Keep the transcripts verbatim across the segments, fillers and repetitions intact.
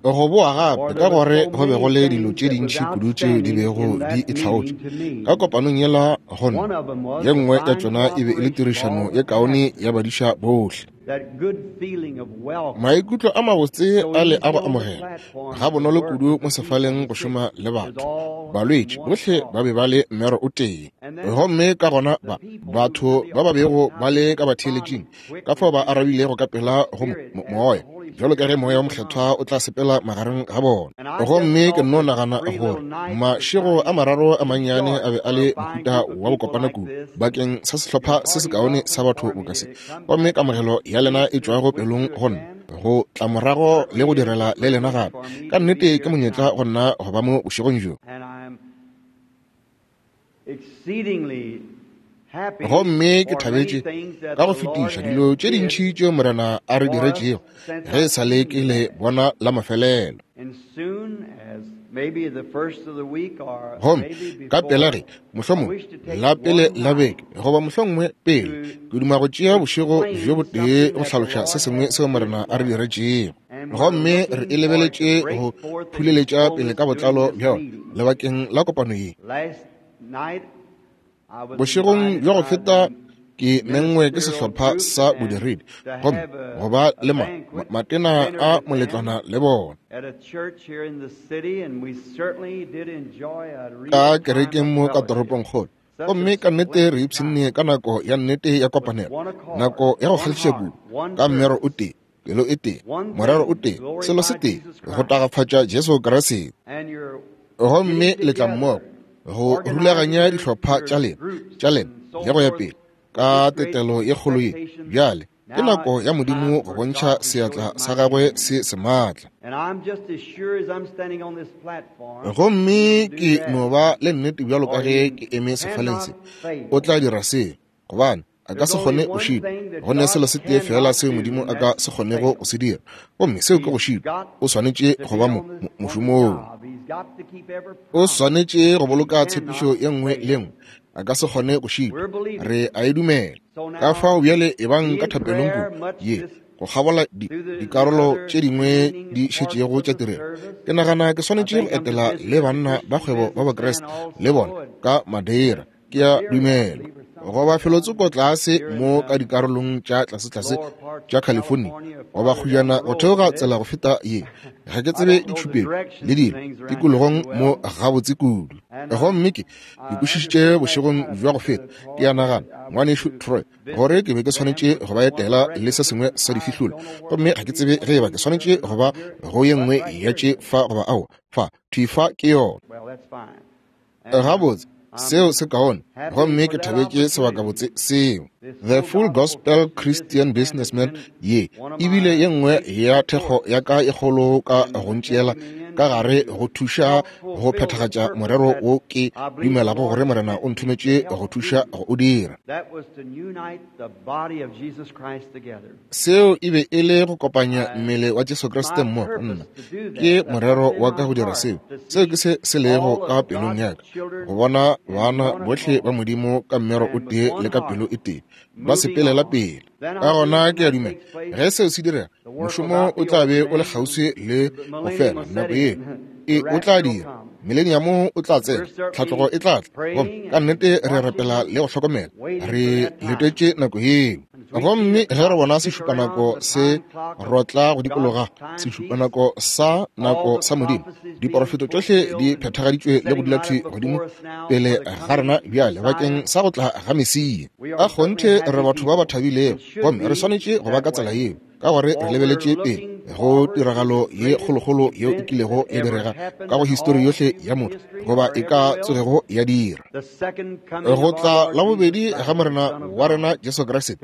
Go boa gape ka gore go be go le dilo tše dintši kudu tšeo di bego di itlhaotše ka kopanong yela go nna. Ye nngwe ya tšona e be e le tirišano ye kaone ya badiša bohle. Maikutlo a mabotse a le a go amogela ga bonolo kudu mo sefaleng go šoma le batho. Balwetši bohle ba be ba le mmero o tee. Gomme ka gona ba batho ba ba bego ba le ka batheeletšing ka fao ba arabilego ka pela go moya, bjalo ka ge moya wa mokgethwa o tla sepela magareng ga bona. Gomme ke nno nagana gore mašego a mararo a mannyane a be a le mohuta wa bokopana kudu bakeng sa sehlopha se sekaone sa batho boka se. Gomme kamogelo ya lena e tšwago pelong go nna, go tla morago le go direla le lena gape. Ka nnete ke monyetla go nna go ba mo bošegong bjo. Gomme ke thabetše ka go fetiša dilo tše dintši tšeo Morena a re diretšego ge e sa le ke le bona la mafelelo. Gomme ka pela ge mohlomongwe la pele la beke goba mohlomongwe pele, ke duma go tšea bošego bjo botee go hlaloša se sengwe seo Morena a re diretšego. Gomme re e lebeletše go phuleletša pele ka botlalo bja yona lebakeng la kopano ye. Bošegong bja go feta ke mengwe ke sehlopha sa bodiredi gomme go ba le ma, matena a moletlwana le bona ka kerekeng mo ka toropongkgolo. Gomme ka nnete re ipshinne ka nako ya nnete ya kopanelo, nako ya go kgahliša kudu, ka mmero o tee, pelo e tee, morero o tee, selo se tee, go tagafatša Jesu Kriste. Gomme le tla mmogo go rulaganya dihlopha tša lena tša lena le go ya pele ka tetelo ye kgolo ye. Bjale ke nako ya Modimo go bontšha seatla sa gagwe se sematla. Gomme ke no ba le nnete bjalo ka ge ke eme sefaleng se, o tla dira se, gobane a ka se kgone go šitwa. Go ne selo se tee fela seo Modimo a ka se kgonego go se dira, gomme seo ke go šitwa. O swanetše go ba mo mošomong. O swanetše go boloka tshepišo ye nngwe le nngwe. A ka se kgone go šitwa. Re a e dumela. Ka fao bjale e bang ka thapelong kudu ye go kgabola di, dikarolo tše dingwe di šetšego tša tirelo. Ke nagana ke swanetše go etela le banna ba kgwebo ba Bakriste le bona ka Madeira. Ke a dumela goba felotsoko tlase mo ka dikarolong tša tlasetlase tša California, goba kgujana go theoga tsela go feta ye. Ga ke tsebe ditšhupetšo le dilo tikologong mo gabotse kudu. Gomme ke ke kwešišitše bošegong bja go feta, ke a nagana, ngwanešu Troy, gore ke be ke swanetše go ba etela le se sengwe sa difihlolo. Gomme ga ke tsebe ge eba ke swanetše go ba go ye nngwe ya tše fa goba aowa. Fa, thwi fa ke yona. Gabotse, seo se kaone, gomme ke thabetše sebakabotse seo. The Full Gospel Christian Businessman ye ebile ye nngwe ya thekgo ya ka e kgolo ka go ntšeela ka gare go thuša go phethagatša morero wo ke dumelago gore Morena o nthometše go thuša go o dira. Seo e be e le go kopanya mmele wa Jesu Kriste mmogo. Nna ke morero wa ka go dira seo. Seo ke se se lego ka pelong ya ka, go bona bana bohle ba Modimo ka mmero o tee le ka pelo e tee ba sepelela pele. Ka gona ke a dumela ge seo se direga, mošomo o tla be o le kgauswi le go fela. Nako ye e o tla dira, mileniamo o tla tsena, tlhatlogo e tla tla. Gomme ka nnete re rapela le go hlokomela, re letetše nako yeo. Gomme ge re bona sešupanako se rotla go dikologa, sešupanako sa nako sa Modimo, diporofeto tšohle di phethagaditšwe le go dula thwi godimo pele ga rena bjale bakeng sa go tla ga Mesia. Ka kgonthe re batho ba ba thabilego, gomme re swanetše go ba ka tsela yeo, ka gore re lebeletše pele go tiragalo ye kgolokgolo yeo e kilego ya direga ka go histori yohle ya motho, goba e ka tsogego ya dira. Go tla la bobedi ga Morena wa rena Jesu Kriste,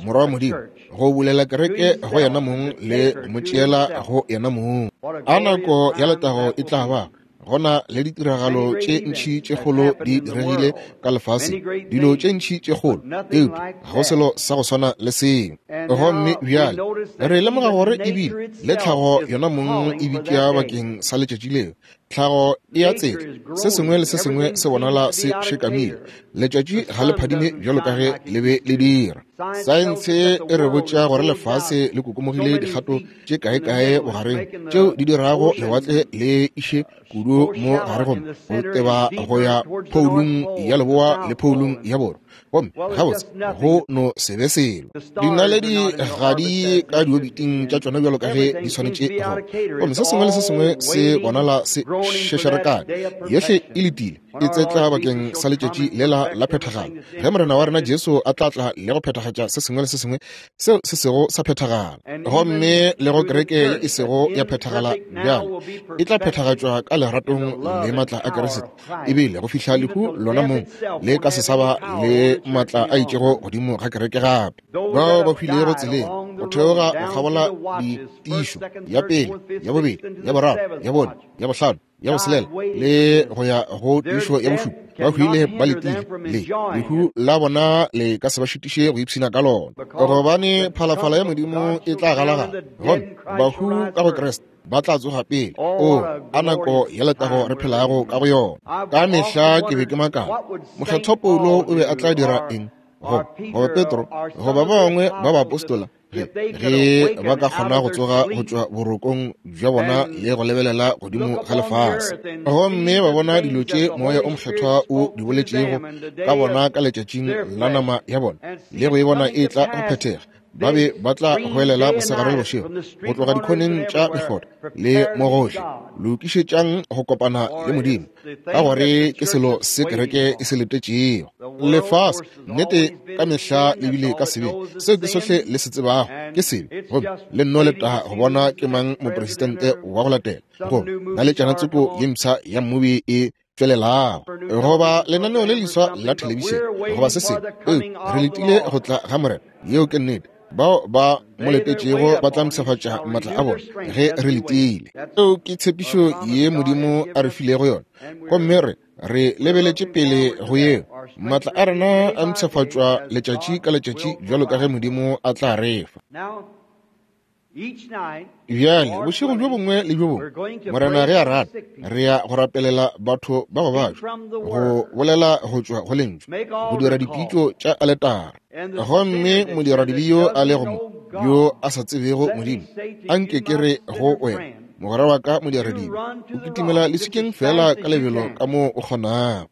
Morwa wa Modimo, go bulela kereke go yena mong le go mo tšeela go yena mong. A nako ya letago e tla ba. Gona le ditiragalo tše ntši tše kgolo di diregile ka lefaseng, dilo tše ntši tše kgolo, eupša ga go selo sa go swana le seo. Gomme bjale re lemoga gore ebile le tlhago yona mong e bitša bakeng sa letšatši leo. Tlhago e a tsetla, se sengwe le se sengwe se bonala se šekamile. Letšatši ga le phadime bjalo ka ge le be le dira. Saense e re botša gore lefase le kokomogile dikgato tše kae-kae bogareng tšeo di dirago lewatle le iše kudu mo gare gomme go teba go ya phoulung ya leboa le phoulung ya borwa. Gomme gabotse go no se be selo. Dinaledi ga di ka diobiting tša tšona bjalo ka ge di swanetše go. Gomme se sengwe le se sengwe se bonala se šešerekane. Yohle e letile, e tsetla bakeng sa letšatši lela la phethagalo, ge Morena wa rena Jesu a tla tla le go phethagatša se sengwe le se sengwe seo se sego sa phethagala. Gomme le go kereke ye e sego ya phethagala bjalo e tla phethagatšwa ka leratong le matla a Kriste, ebile go fihla lehu lona mong le ka se sa ba le matla a itšego godimo ga kereke gape. Bao ba hwilego tseleng go theoga go kgabola ditišo ya pele, ya bobedi, ya boraro, ya bone, ya bohlano, ya boselela le go ya go tišo ya bošupa, ba hwile ba letile le lehu la bona le ka se ba šitiše go ipshina ka lona, gobane phalafala ya Modimo e tla galagala, gomme bahu ka go Kriste ba tla tsoga pele. O a nako ya letago re phelago ka go yona. Ka mehla ke be ke makala, Mokgethwa Paulo o be a tla dira eng, goba goba Petro, goba ba bangwe ba baapostola, ge ge ba ka kgona go tsoga go tšwa borokong bja bona le go lebelela godimo ga lefase, gomme ba bona dilo tše Moya o Mokgethwa o di boletšego ka bona ka letšatšing la nama ya bona, le go e bona e tla go phethega, ba be ba tla goelela mosegare le bošego go tloga dikhoneng tša mekgotha le mo gohle, lokišetšang go kopana le Modimo, ka gore ke selo se kereke e se letetšego. Lefase nnete ka mehla le bile ka sebe, seo ke sohle le se tsebago ke sebe, gomme le nno leta go bona ke mang mopresidente wa go latela, goba naletšana tsoko ye mpsha ya mmobi e tšwelelago, goba lenaneo le leswa la thelebišene, goba se sengwe. Ee, re letile go tla ga Morena. Yeo ke nnete. Bao ba mo letetšego ba tla mpshafatša matla a bona ge re letile. Eo ke tshepišo ye Modimo a re filego yona, gomme re re lebeletše pele go yeo. Matla a rena a mpshafatšwa letšatši ka letšatši bjalo ka ge Modimo a tla re fa. Bjale bošego bjo bongwe le bjo bongwe, Morena ge a rata, re ya go rapelela batho ba go bajwa, go bolela go tšwa go lentšu, go dira dipitšo tša aletara. Gomme modiradibe yo a lego mo, yo a sa tsebego Modimo, a nke ke re go wena, mogwera wa ka modiradibe, o kitimela leswikeng fela ka lebelo ka moo o kgonago.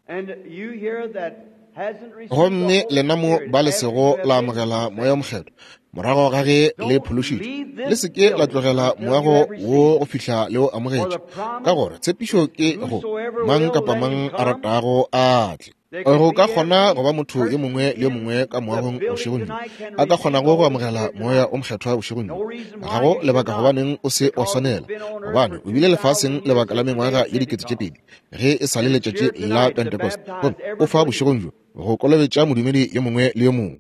Gomme lena mo ba le sego la amogela Moya o Mokgethwa morago ga ge le phološitšwe, le se ke la tlogela moago wo go fihla le o amogetše, ka gore tshepišo ke go mang kapa mang a ratago a tle. Go ka kgona go ba motho yo mongwe le yo mongwe ka moagong bošegong bjo a ka kgonago go amogela Moya o Mokgethwa bošegong bjo. Ga go lebaka gobaneng o se wa swanela, gobane o bile lefaseng lebaka la mengwaga ye dikete tše pedi ge e sa le letšatši la Pentecost, gomme o fa bošegong bjo go kolobetša modumedi yo mongwe le yo mongwe.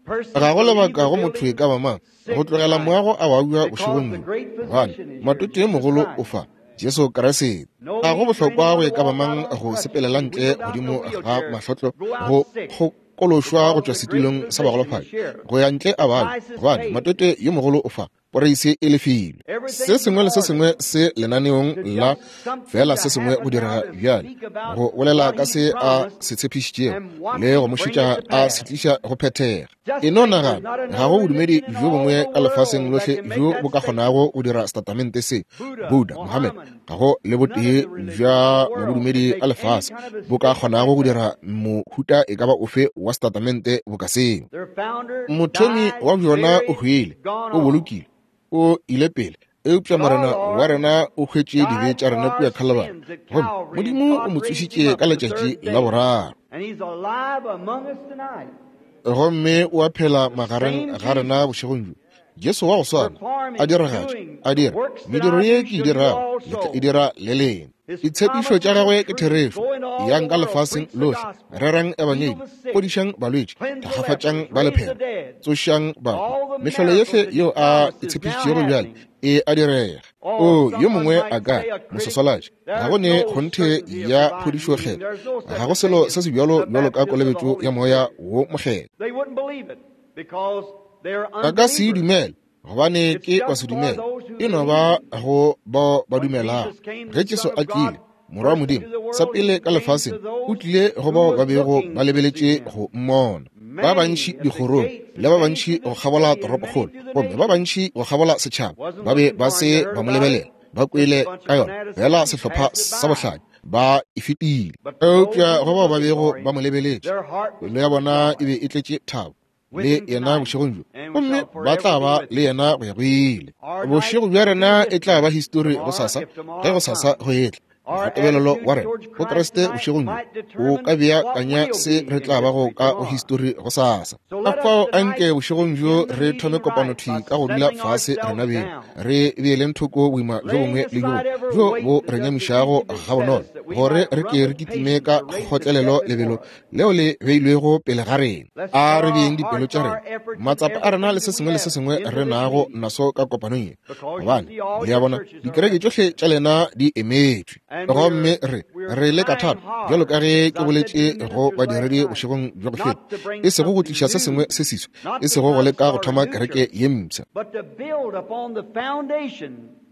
Ga go lebaka go motho e ka ba mang go tlogela moago a babja bošegong bjo, gobane matoto yo mogolo o fa Jesu Kriste. Ga go bohlokwa go e ka ba mang go sepelela ntle godimo ga mahlotlo go kgokološwa go tšwa setulong sa bagolofadi go ya ntle a babja, gobane matoto yo mogolo o fa poreise e lefilwe. Se sengwe le se sengwe se lenaneong la fela se sengwe go direga bjale, go bolela ka se a se tshepišitšego le go mo šetša a se tliša go phethega. E no nagana, ga go bodumedi bjo bongwe ka lefaseng lohle bjo bo ka kgonago go dira setatamente se. Buddha, Mohammed, ga go le botee bja mabodumedi a lefase bo ka kgonago go dira mohuta e ka ba ofe wa setatamente boka seo. Mothomi wa bjona o hwile, o bolokile, o ile pele, eupša Morena wa rena o hwetše dibe tša rena kua Calvary, gomme Modimo o mo tsošitše ka letšatši la boraro, gomme o a phela magareng ga rena bošegong bjo. Jesu wa go swana a diragatša, a dira mediro ye ke e dirago, le tla e dira le lena. Ditshepišo tša gagwe ke therešo. Yang ka lefaseng lohle, rerang ebangedi, fodišang balwetši, thakgafatšang ba lephera, tsošang bahu. Mehlolo yohle yeo a e tshepišitšego bjale e a direga. O yo mongwe a ka moswaswalatši, ga go ne kgonthe ya phodišo kgetho, ga go selo se se bjalo bjalo ka kolobetšo ya Moya wo Mokgethwa. Ba ka se e dumele, gobane ke basedumele. E no ba go bao ba dumelago. Ge Jesu a tlile, Morwa wa Modimo, sa pele ka lefaseng, o tlile go bao ba bego ba lebeletše go mmona. Ba bantši dikgorong, le ba bantši go kgabola toropokgolo, gomme ba bantši go kgabola setšhaba, ba be ba se ba mo lebelela. Ba kwele ka yona, fela sehlopha sa bohlale ba e fetile. Eupša go bao ba bego ba mo lebeletše, pelo ya bona e be e tletše thabo le yena bošegong bjo, gomme ba tla ba le yena go ya go ile. Bošego bja rena e tla ba histori gosasa, ge gosasa go etla. Mokgatebelelo wa rena go Kriste bošegong bjo o ka beakanya se re tla bago ka go histori gosasa. Ka fao anke bošegong bjo re thome kopano thwi ka go dula fase rena beng, re beeleng thoko boima bjo bongwe le bjo bjo bo re nyamišago gabonolo, gore re ke re kitime ka kgotlelelo lebelo leo le beilwego pele ga rena. A re beeng dipelo tša rena, matsapa a rena le se sengwe le se sengwe re nago naso ka kopanong ye, gobane le a bona dikereke tšohle tša lena di emetšwe. Gomme re re le ka thata, bjalo ka ge ke boletše go badiredi bošegong bja go feta, e sego go tliša se sengwe se seswa, e sego go leka go thoma kereke ye mpsha,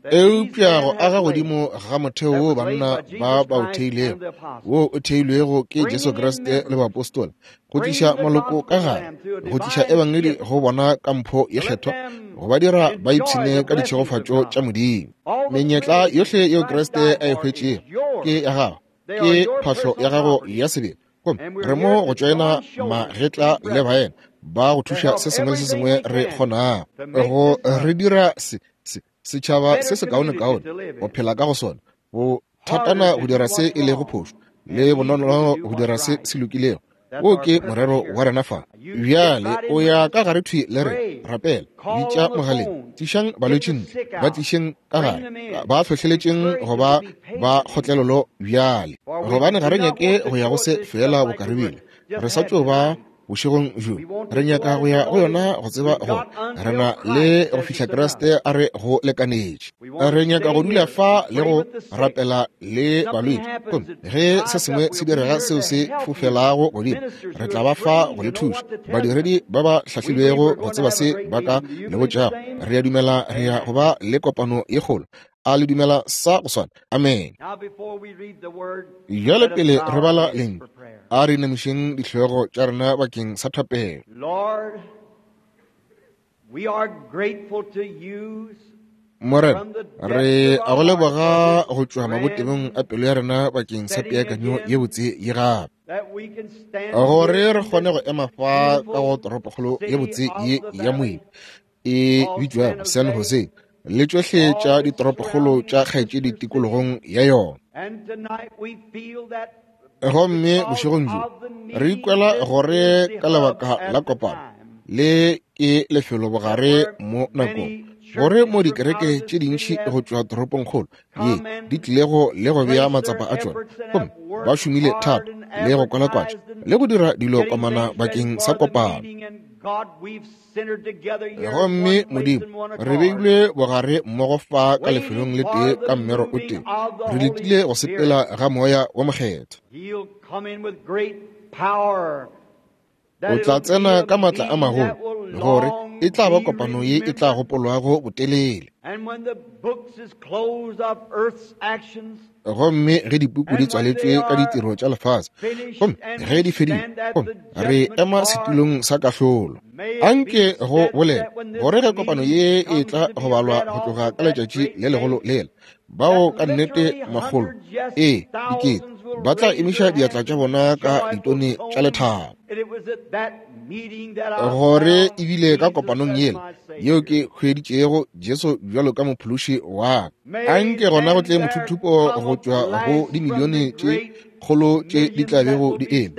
eupša go aga godimo ga motheo wo banna ba ba o theilego, wo o theilwego ke Jesu Kriste le baapostola, go tliša maloko ka gare, go tliša ebangedi go bona ka mpho ye kgethwa, go ba dira ba ipshine ka ditšhegofatšo tša Modimo. Menyetla yohle yeo Kriste a e hwetšego ke ya gago, ke phahlo ya gago ya sebele. Gomme re mo go tšoena magetla le baena ba go thuša se sengwe le se sengwe re kgonago, go re dira se se setšhaba se se kaonekaone go phela ka go sona, go thatana go dira se e lego phošo, le bonolo go dira se se lokilego. Wo ke morero wa rena fa. Bjale o ya ka gare thwi le re, rapela, bitša mogaleng, tlišang balwetši ntle, ba tlišeng ka gare, ba hlohleletšeng go ba ba kgotlelelo bjale, gobane ga re nyake go ya go se fela bokaribile. Re sa tšo ba bošegong bjo, re nyaka go ya go yona go tseba gore re na le go fihla Kriste a re go lekanetše. Re nyaka go dula fa le go rapela le balwetši, gomme ge se sengwe se direga seo se fofelago godimo, re tla ba fa go le thuša. Badiredi ba ba hlahlilwego go tseba se ba ka le botšago. Re a dumela re ya go ba le kopano ye kgolo. A le dumela sa go swana? Amen. Bjale pele re bala lentšu, a re inamišeng dihlogo tša rena bakeng sa thapelo. Morena, re a go leboga go tšwa mabotebong a pelo ya rena bakeng sa peakanyo ye botse ye gape, gore re kgone go ema fa ka go toropokgolo ye botse ye ya moebi e bitšwago San Jose, le tšohle tša ditoropokgolo tša kgaetšedi tikologong ya yona. Gomme bošegong bjo re ikwela gore ka lebaka la kopano le ke lefelo bogare mo nakong, gore mo dikereke tše dintši go tšwa toropongkgolo ye di tlilego le go bea matsapa a tšona, gomme ba šomile thata le go kwalakwatša le go dira dilo komana bakeng sa kopano. Gomme Modimo, re beilwe bogare mmogo fa ka lefelong le tee ka mmero o tee, re letile go sepela ga Moya wa Mokgethwa. O tla tsena ka matla a magolo, gore e tla ba kopano ye e tla gopolwago botelele. Gomme ge dipuku di tswaletšwe ka ditiro tša lefase, gomme ge di fedile, gomme re ema setulong sa kahlolo, anke go bolela gore ge kopano ye e tla go balwa go tloga ka letšatši le legolo lela, bao ka nnete makgolo, ee dikete, ba tla emiša diatla tša bona ka ditone tša lethabo. Gore ebile ka kopanong yela yeo ke hweditšego Jesu bjalo ka mophološi wa ka, anke gona go tle mothuthupo go tšwa go dimilione tše kgolo tše di tla bego di eme,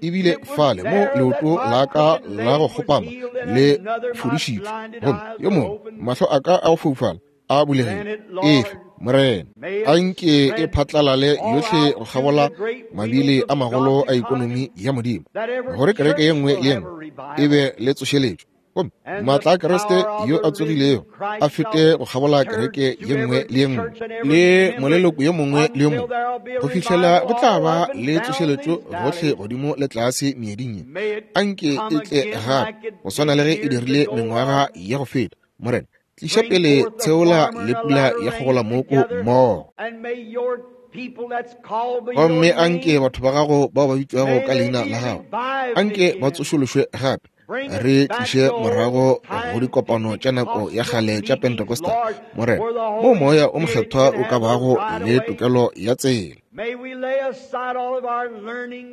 ebile fale mo leoto la ka la go kgopama le fodišitšwe, gomme yo mongwe mahlo a ka a go foufala a bulegile. Efe Morena, anke e phatlalale yohle go kgabola mabile a magolo a ekonomi ya Modimo, gore kereke ye nngwe le ye nngwe e be le tsošeletšo, gomme maatla a Kriste yo a tsogilego a fete go kgabola kereke ye nngwe le ye nngwe le moleloko yo mongwe le yo mongwe, go fihlela go tla ba le tsošeletšo gohle godimo le tlase meeding ye. Anke e tle gape go swana le ge e dirile mengwaga ya go feta. Morena, Tliša pele tsheola le pula ya kgogolamoko mmogo. Gomme anke batho ba gago bao ba bitšwago ka leina la gago, anke ba tsošološwe gape. Re tliše morago go dikopano tša nako ya kgale tša Pentecostal, Morena, moo Moya o Mokgethwa o ka bago le tokelo ya tsela.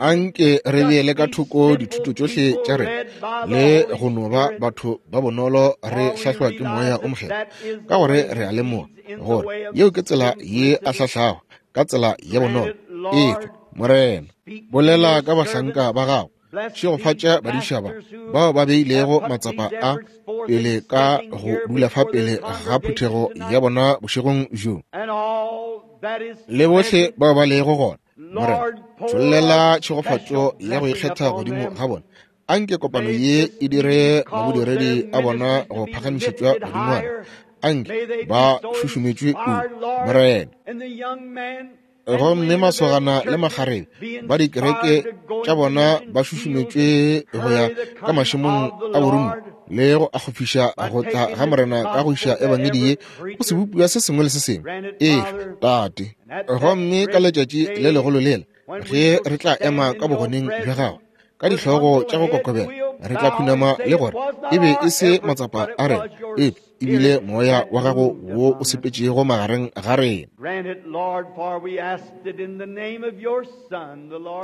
Anke re beele ka thoko dithuto tšohle tša rena le go no ba batho ba bonolo re hlahlwa ke Moya o Mokgethwa, ka gore re a lemoga gore yeo ke tsela ye a hlahlago ka tsela ya bonolo. Efe, Morena, bolela ka bahlanka ba gago, šegofatša badiša ba bao ba beilego matsapa a pele ka go dula fa pele ga phuthego ya bona bošegong bjo, le bohle bao ba lego gona. Morena, tšhollela tšhegofatšo ya go ikgetha godimo ga bona. Anke kopano ye e dire mabodiredi a bona go phagamišetšwa godingwana. Anke ba šušumetšwe kudu, Morena. Gomme masogana le makgarebe ba dikereke tša bona ba šušumetšwe go ya ka mašemong a borumo le go akgofiša go tla ga Morena ka go iša ebangedi ye go sebopiwa se sengwe le se sengwe. Ee, Tate. Gomme ka letšatši le legolo lela, ge re tla ema ka bogoneng bja gago ka dihlogo tša go kokobela, re tla khunama le gore e be e se matsapa a rena, eupša e bile moya wa gago wo o sepetšego magareng ga rena.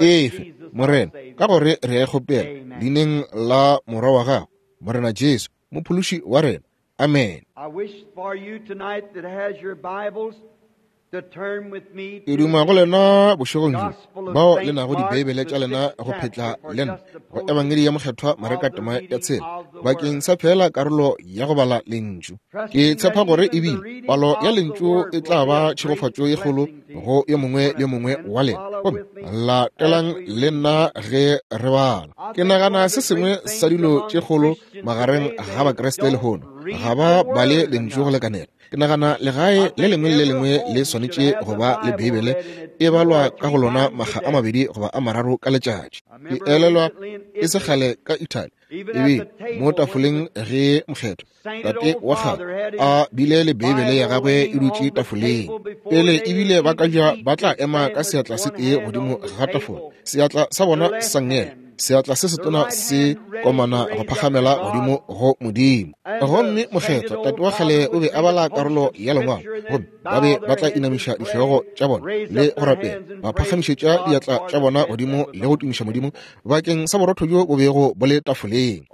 Efe, Morena, ka gore re a e kgopela leineng la Morwa wa gago, Morena Jesu, Mophološi wa rena. Amen. Ke duma go lena bošegong bjo bao le nago dibeibele tša lena go phetla le nna go Ebangedi ya Mokgethwa Mareka tema ya tshela bakeng sa fela karolo ya go bala lentšu. Ke tshepa gore ebile palo ya lentšu e tla ba tšhegofatšo ye kgolo go yo mongwe le yo mongwe wa lena. Gomme latelang le nna ge re bala. Ke nagana se sengwe sa dilo tše kgolo magareng ga Bakreste lehono, ga ba bale lentšu go lekanela. Ke nagana legae le lengwe le lengwe le swanetše go ba le Beibele e balwa ka go lona makga a mabedi goba a mararo ka letšatši. Ke elelwa e se kgale ka Italy, ebe mo tafoleng ge mokgethwa tate wa kgale a bile le Beibele ya gagwe e dutše tafoleng. Pele ebile ba ka ja ba tla ema ka seatla se tee godimo ga tafola, seatla sa bona sa ngela, seatla se setona se komana go phagamela godimo go Modimo. Gomme mokgethwa tate wa kgale o be a bala karolo ya lengwalo, gomme ba be ba tla inamiša dihlogo tša bona le go rapela, ba phagamišetša diatla tša bona godimo le go tumiša Modimo bakeng sa borotho bjo bo bego bo le tafoleng.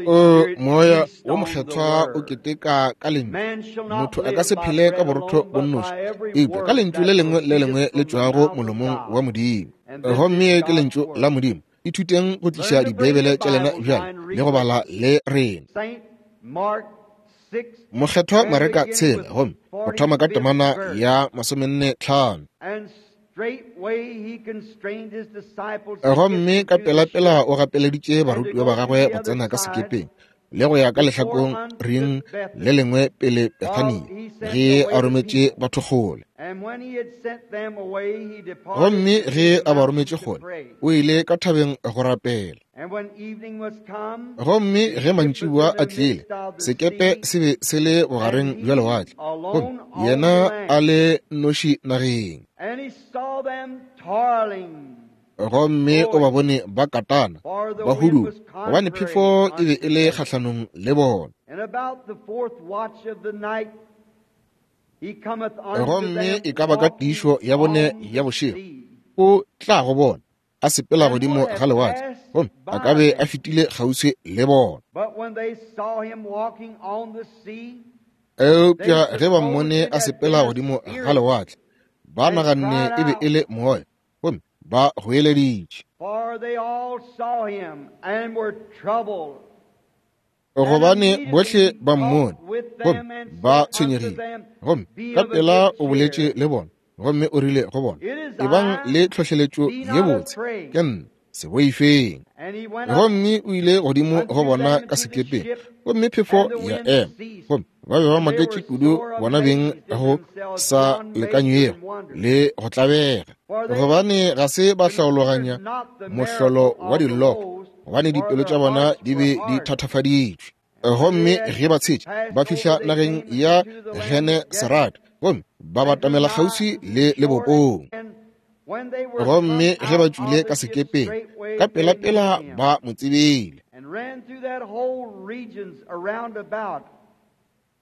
O Moya wo Mokgethwa o keteka ka lentšu. Motho a ka se phele ka borotho bo nnoši, eupša ka lentšu le lengwe le lengwe le tšwago molomong wa Modimo. Gomme ke lentšu la Modimo. Ithuteng go tliša dibeibele tša lena bjale le go bala le rena. Mokgethwa Mareka tshela, gomme go thoma ka temana ya masomenne tlhano. Gomme ka pelapela o gapeleditše barutiwa ba gagwe go tsena ka sekepeng le go ya ka lehlakong ring le lengwe pele Bethania, ge a rometše batho kgole. Gomme ge a ba rometše kgole, o ile ka thabeng go rapela. Gomme ge mantšiboa a tlile, sekepe se be se le bogareng bja lewatle, gomme yena a le noši nageng. Gomme o ba bone ba katana, ba huduga, gobane phefo e be e le kgahlanong le bona. Gomme e ka ba ka tiišo ya bone ya bošego, o tla go bona a sepela godimo ga lewatle, gomme a ka be a fetile kgauswi le bona. Eupša ge ba mmone a sepela godimo ga lewatle, ba naganne e be e le moya, gomme ba goeleditše. Gobane bohle ba mmone, gomme ba tshwenyegile. Gomme ka pela o boletše le bona, gomme o rile go bona, ebang le tlhohleletšo ye botse, ke nna, se boifeng. Gomme o ile godimo go bona ka sekepeng, gomme phefo ya ema, gomme ba be ba maketše kudu bona beng go sa lekanywego le go tlabega, gobane ga se ba hlaologanya mohlolo wa diloko, gobane dipelo tša bona di be di thatafaditšwe. Gomme ge ba tshetše ba fihla nageng ya Genesarete, gomme ba batamela kgauswi le lebopong. Gomme ge ba tšwile ka sekepeng, ka pelapela ba mo tsebile.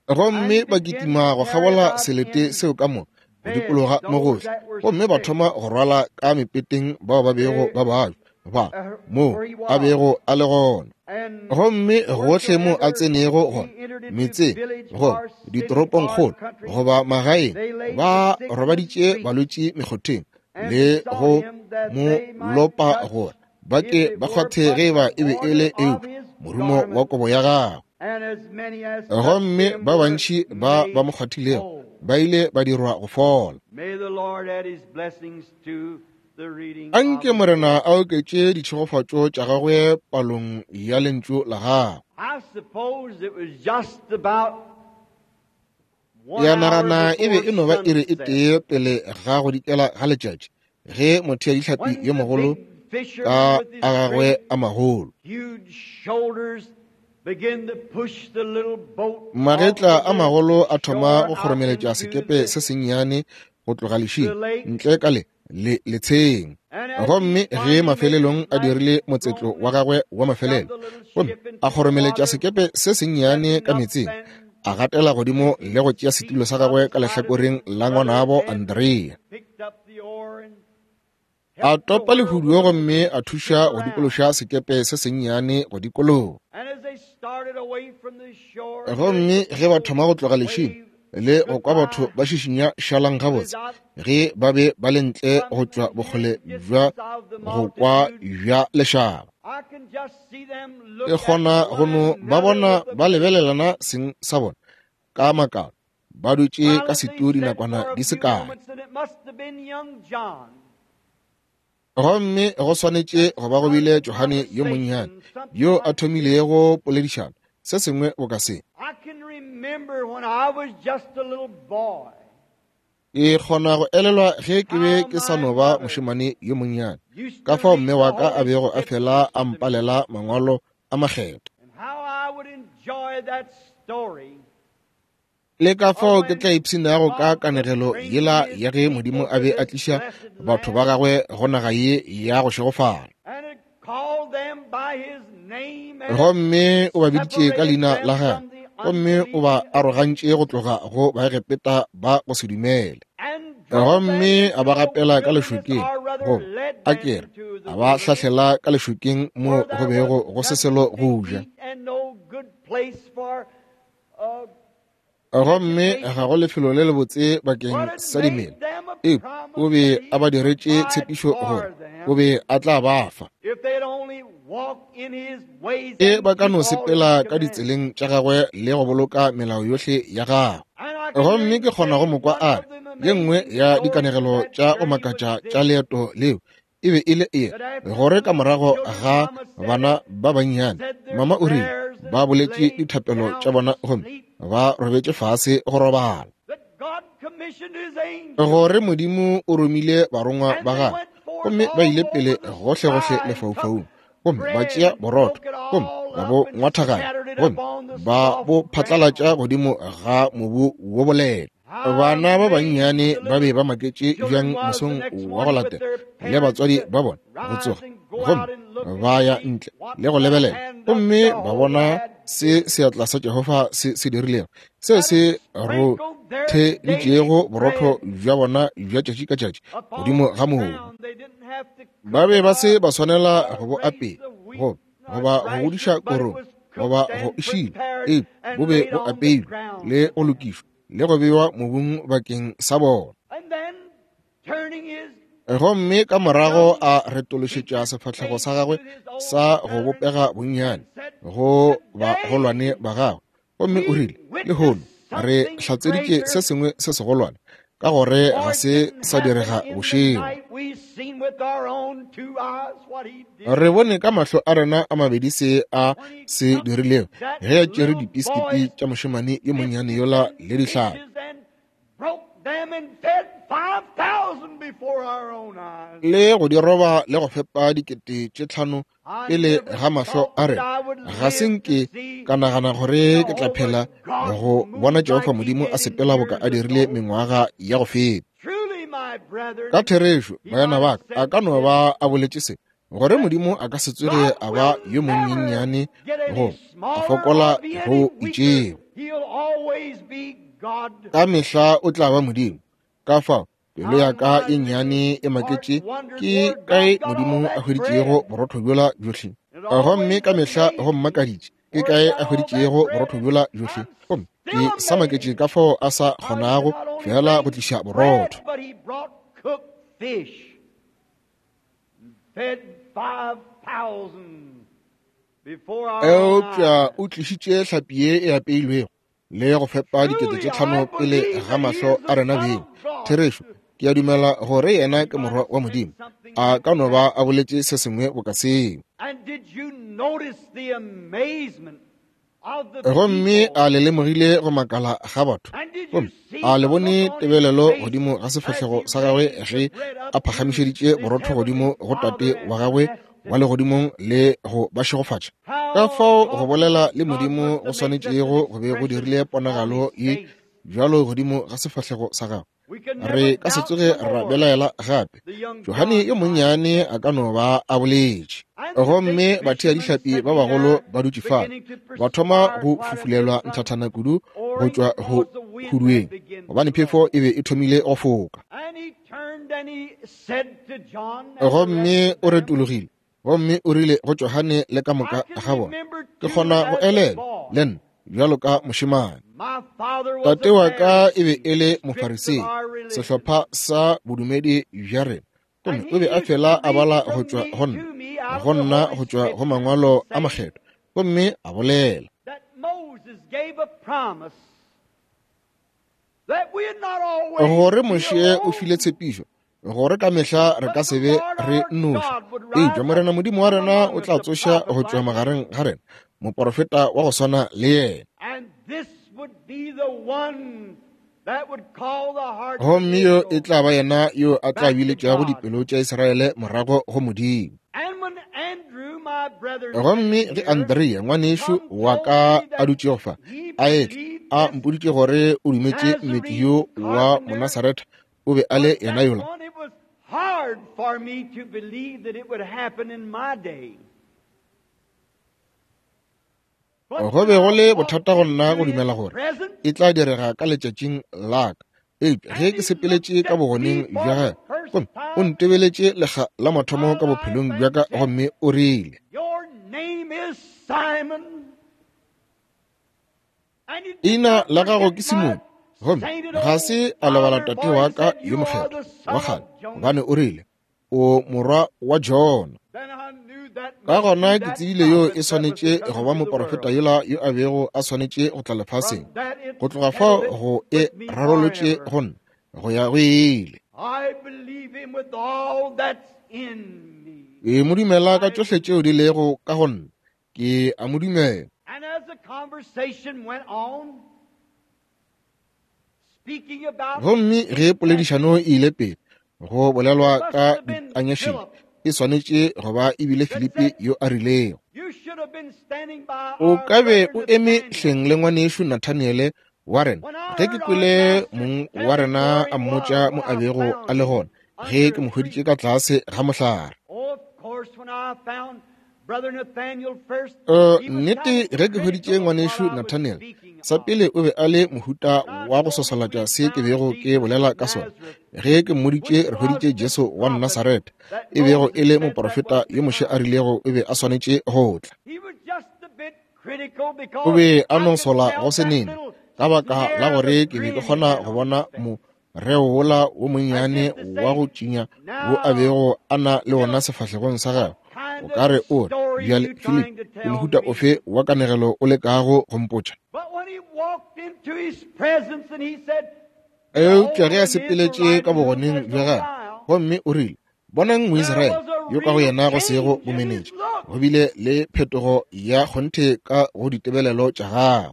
Gomme ba kitima go kgabola selete seo ka moka, go dikologa mo gohle, gomme ba thoma go rwala ka mepeteng bao ba bego ba bajwa ba moo a bego a le gona. Gomme gohle mo a tsenego gona, metseng goba ditoropongkgolo goba magaeng, ba robaditše balwetši mekgotheng le go mo lopa gore ba ke ba kgwathe ge eba e be e le eupša morumo wa kobo ya gagwe. Gomme ba bantši ba ba mo kgwathilego ba ile ba dirwa go fola. Anke Morena a oketše ditšhegofatšo tša gagwe palong ya lentšu la gagwe. Ya nagana e be e no ba iri e tee pele ga go dikela ga letšatši, ge motheadihlapi yo mogolo ka a gagwe a magolo, magetla a magolo a thoma go kgoromeletša sekepe se sennyane go tloga lešing ntle ka le le letsheng. Gomme ge mafelelong a dirile motsetlo wa gagwe wa mafelelo, gomme a kgoromeletša sekepe se sennyane ka metseng, a gatela godimo le go tšea setulo sa gagwe ka lehlakoreng la ngwanabo Andrea. A topa lehuduo gomme a thuša go dikološa sekepe se sennyane go dikologa. Gomme ge ba thoma go tloga lešing le go kwa batho ba šišinya šalang gabotse, ge ba be ba le ntle go tšwa bokgole bja go kwa bja lešaba, ke kgona go no ba bona ba lebelelana seng sa bona ka makalo, ba dutše ka setu dinakwana di se kae. Gomme go swanetše go ba go bile Johane yo monnyane yo a thomilego poledišano, se sengwe boka se. Ke kgona go elelwa ge ke be ke sa no ba mošemane yo monnyane, ka fao mme wa ka a bego a fela a mpalela mangwalo a makgetho, le ka fao ke tla ipshinago ka kanegelo yela ya ge Modimo a be a tliša batho ba gagwe go naga ye ya go šegofala. Gomme o ba biditše ka leina la gagwe, gomme o ba arogantše go tloga go Baegepeta ba go se dumele. Gomme a ba gapela ka lešokeng, goba a kere a ba hlahlela ka lešokeng mo go bego go se selo go ja. Gomme ga go lefelo le lebotse bakeng sa dimela, eupša o be a ba diretše tshepišo gore o be a tla ba fa. E ba ka no sepela ka ditseleng tša gagwe le go boloka melao yohle ya gagwe. Gomme ke kgona go mo kwa a re ye nngwe ya dikanegelo tša go makatša tša leeto leo e be e le e gore ka morago ga bana ba bannyane, mama o rile ba boletše dithapelo tša bona gomme ba robetše fase go robala, gore Modimo o romile barongwa ba gagwe gomme ba ile pele gohlegohle lefaufaung, gomme ba tšea borotho gomme ba bo ngwathaganya gomme ba bo phatlalatša godimo ga mobu wo boleta. Bana ba bannyane ba be ba maketše bjang mosong wa go latela le batswadi ba bona go tsoga gomme ba ya ntle le go lebelela, gomme ba bona se seatla sa Jehofa se se dirilego, seo se rotheditšego borotho bja bona bja tšatši ka tšatši godimo ga mobu. Ba be ba se ba swanela go bo apea goba goba go godiša korong goba go e šila, eupša bo be bo apeilwe le go lokišwa le go bewa mobung bakeng sa bona. Gomme ka morago a retološetša sefahlego sa gagwe sa go bopega bonnyane go bagolwane ba gagwe, gomme o rile, lehono re hlatseditše se sengwe se segolwane, ka gore ga se sa direga bošego. Re bone ka mahlo a rena a mabedi se a se dirilego ge a tšere dipiskiti tša mošemane yo monnyane yola le dihlapi, Le go di roba le go fepa dikete tše tlhano pele ga mahlo a rena. Ga se nke ka nagana gore ke tla phela go bona Jehofa Modimo a sepela boka a dirile mengwaga ya go feta. Ka therešo, baena ba ka, a ka no ba a boletše se, gore Modimo a ka se tsoge a ba yo monyenyane go a fokola go itšego. Ka mehla o tla ba Modimo. Ka fao pelo ya ka e nnyane e maketše ke kae Modimo a hweditšego borotho bjola bjohle. Gomme ka mehla go mmakaditše ke kae a hweditšego borotho bjola bjohle. Gomme ke sa maketše ka fao a sa kgonago fela go tliša borotho. Eupša o tlišitše hlapi ye e apeilwego le go fepa dikete tše tlhano pele ga mahlo a rena beng. Therešo, ke a dumela gore yena ke morwa wa Modimo. A ka no ba a boletše se sengwe boka seo. Gomme a le lemogile go makala ga batho. Gomme a le bone tebelelo godimo ga sefahlego sa gagwe ge a phagamišeditše borotho godimo go Tate wa gagwe wa legodimong le go ba šegofatša. Ka fao go bolela le Modimo go swanetšego go be go dirile ponagalo ye bjalo godimo ga sefahlego sa gagwe. Re ka se tsoge ra belaela gape. Johane yo monnyane a ka no ba a boletše. Gomme bathea-dihlapi ba bagolo ba dutše fale, ba thoma go fufulelwa nthathana kudu go tšwa go hudueng, gobane phefo e be e thomile go foka. Gomme o retologile, gomme o rile go Johane le ka moka ga bona, ke kgona go elela le nna bjalo ka mošemane. Tate wa ka e be e le Mofarisei, sehlopha sa bodumedi bja rena. Gomme o be a fela a bala go tšwa go nna, go nna go tšwa go mangwalo a makgethwa, gomme a bolela gore Moshe o file tshepišo gore ka mehla re ka se be re nnoši, eupša Morena Modimo wa rena o tla tsoša go tšwa magareng ga rena moporofeta wa go swana le yena. Gomme yo e tla ba yena yo a tla biletšago dipelo tša Israele morago go Modimo. Gomme ge Andrea ngwanešo wa ka a dutšego fa a etla, a mpoditše gore o dumetše mmetli yo wa Monasaretha o be a le yena yola. Go be go le bothata go nna go dumela gore e tla direga ka letšatšing la ka. Eupša ge ke sepeletše ka bogoneng bja gagwe, gomme o ntebeletše lekga la mathomo ka bophelong bja ka, gomme o rile, ina la gago ke Simone. Gomme ga se a lebala tate wa ka yo mokgethwa wa kgale, gobane o rile, o morwa wa Jona. Ka gona ke tsebile yo e swanetše go ba moporofeta yola yo a bego a swanetše go tla lefaseng. Go tloga fao go e rarolotše go nna go ya go ile. Ke mo dumela ka tšohle tšeo di lego ka go nna. Ke a mo dumela. Gomme ge poledišano e ile pele, go bolelwa ka ditanyašile, e swanetše go ba e bile Filipi yo a rilego, o ka be o eme hleng le ngwanešo Nathaniele wa rena ge ke kwele mong wa rena a mmotša mo a bego a le gona ge ke mo hweditše ka tlase ga mohlare. Uh, nnete ge ke hweditše ngwanešo Nathaniel, sa pele o be a le mohuta wa go sosolatša se ke bego ke bolela ka sona. Ge ke mmoditše re hweditše Jesu wa Nasaretha, e bego e le moporofeta yo Moshe a rilego o be a swanetše go tla. O be a no sola go se nene, ka baka la gore ke be ke kgona go bona moreo wola wo monnyane wa go tšinya wo a bego a na le wona sefahlegong sa gagwe. O ka re o re, bjale Philip, ke mohuta ofe wa kanegelo o lekago go mpotša? Eupša ge a sepeletše ka bogoneng bja gagwe, gomme o rile, bonang Moisraele yo ka go yena go sego bomenetša, go bile le phetogo ya kgonthe ka go ditebelelo tša gagwe.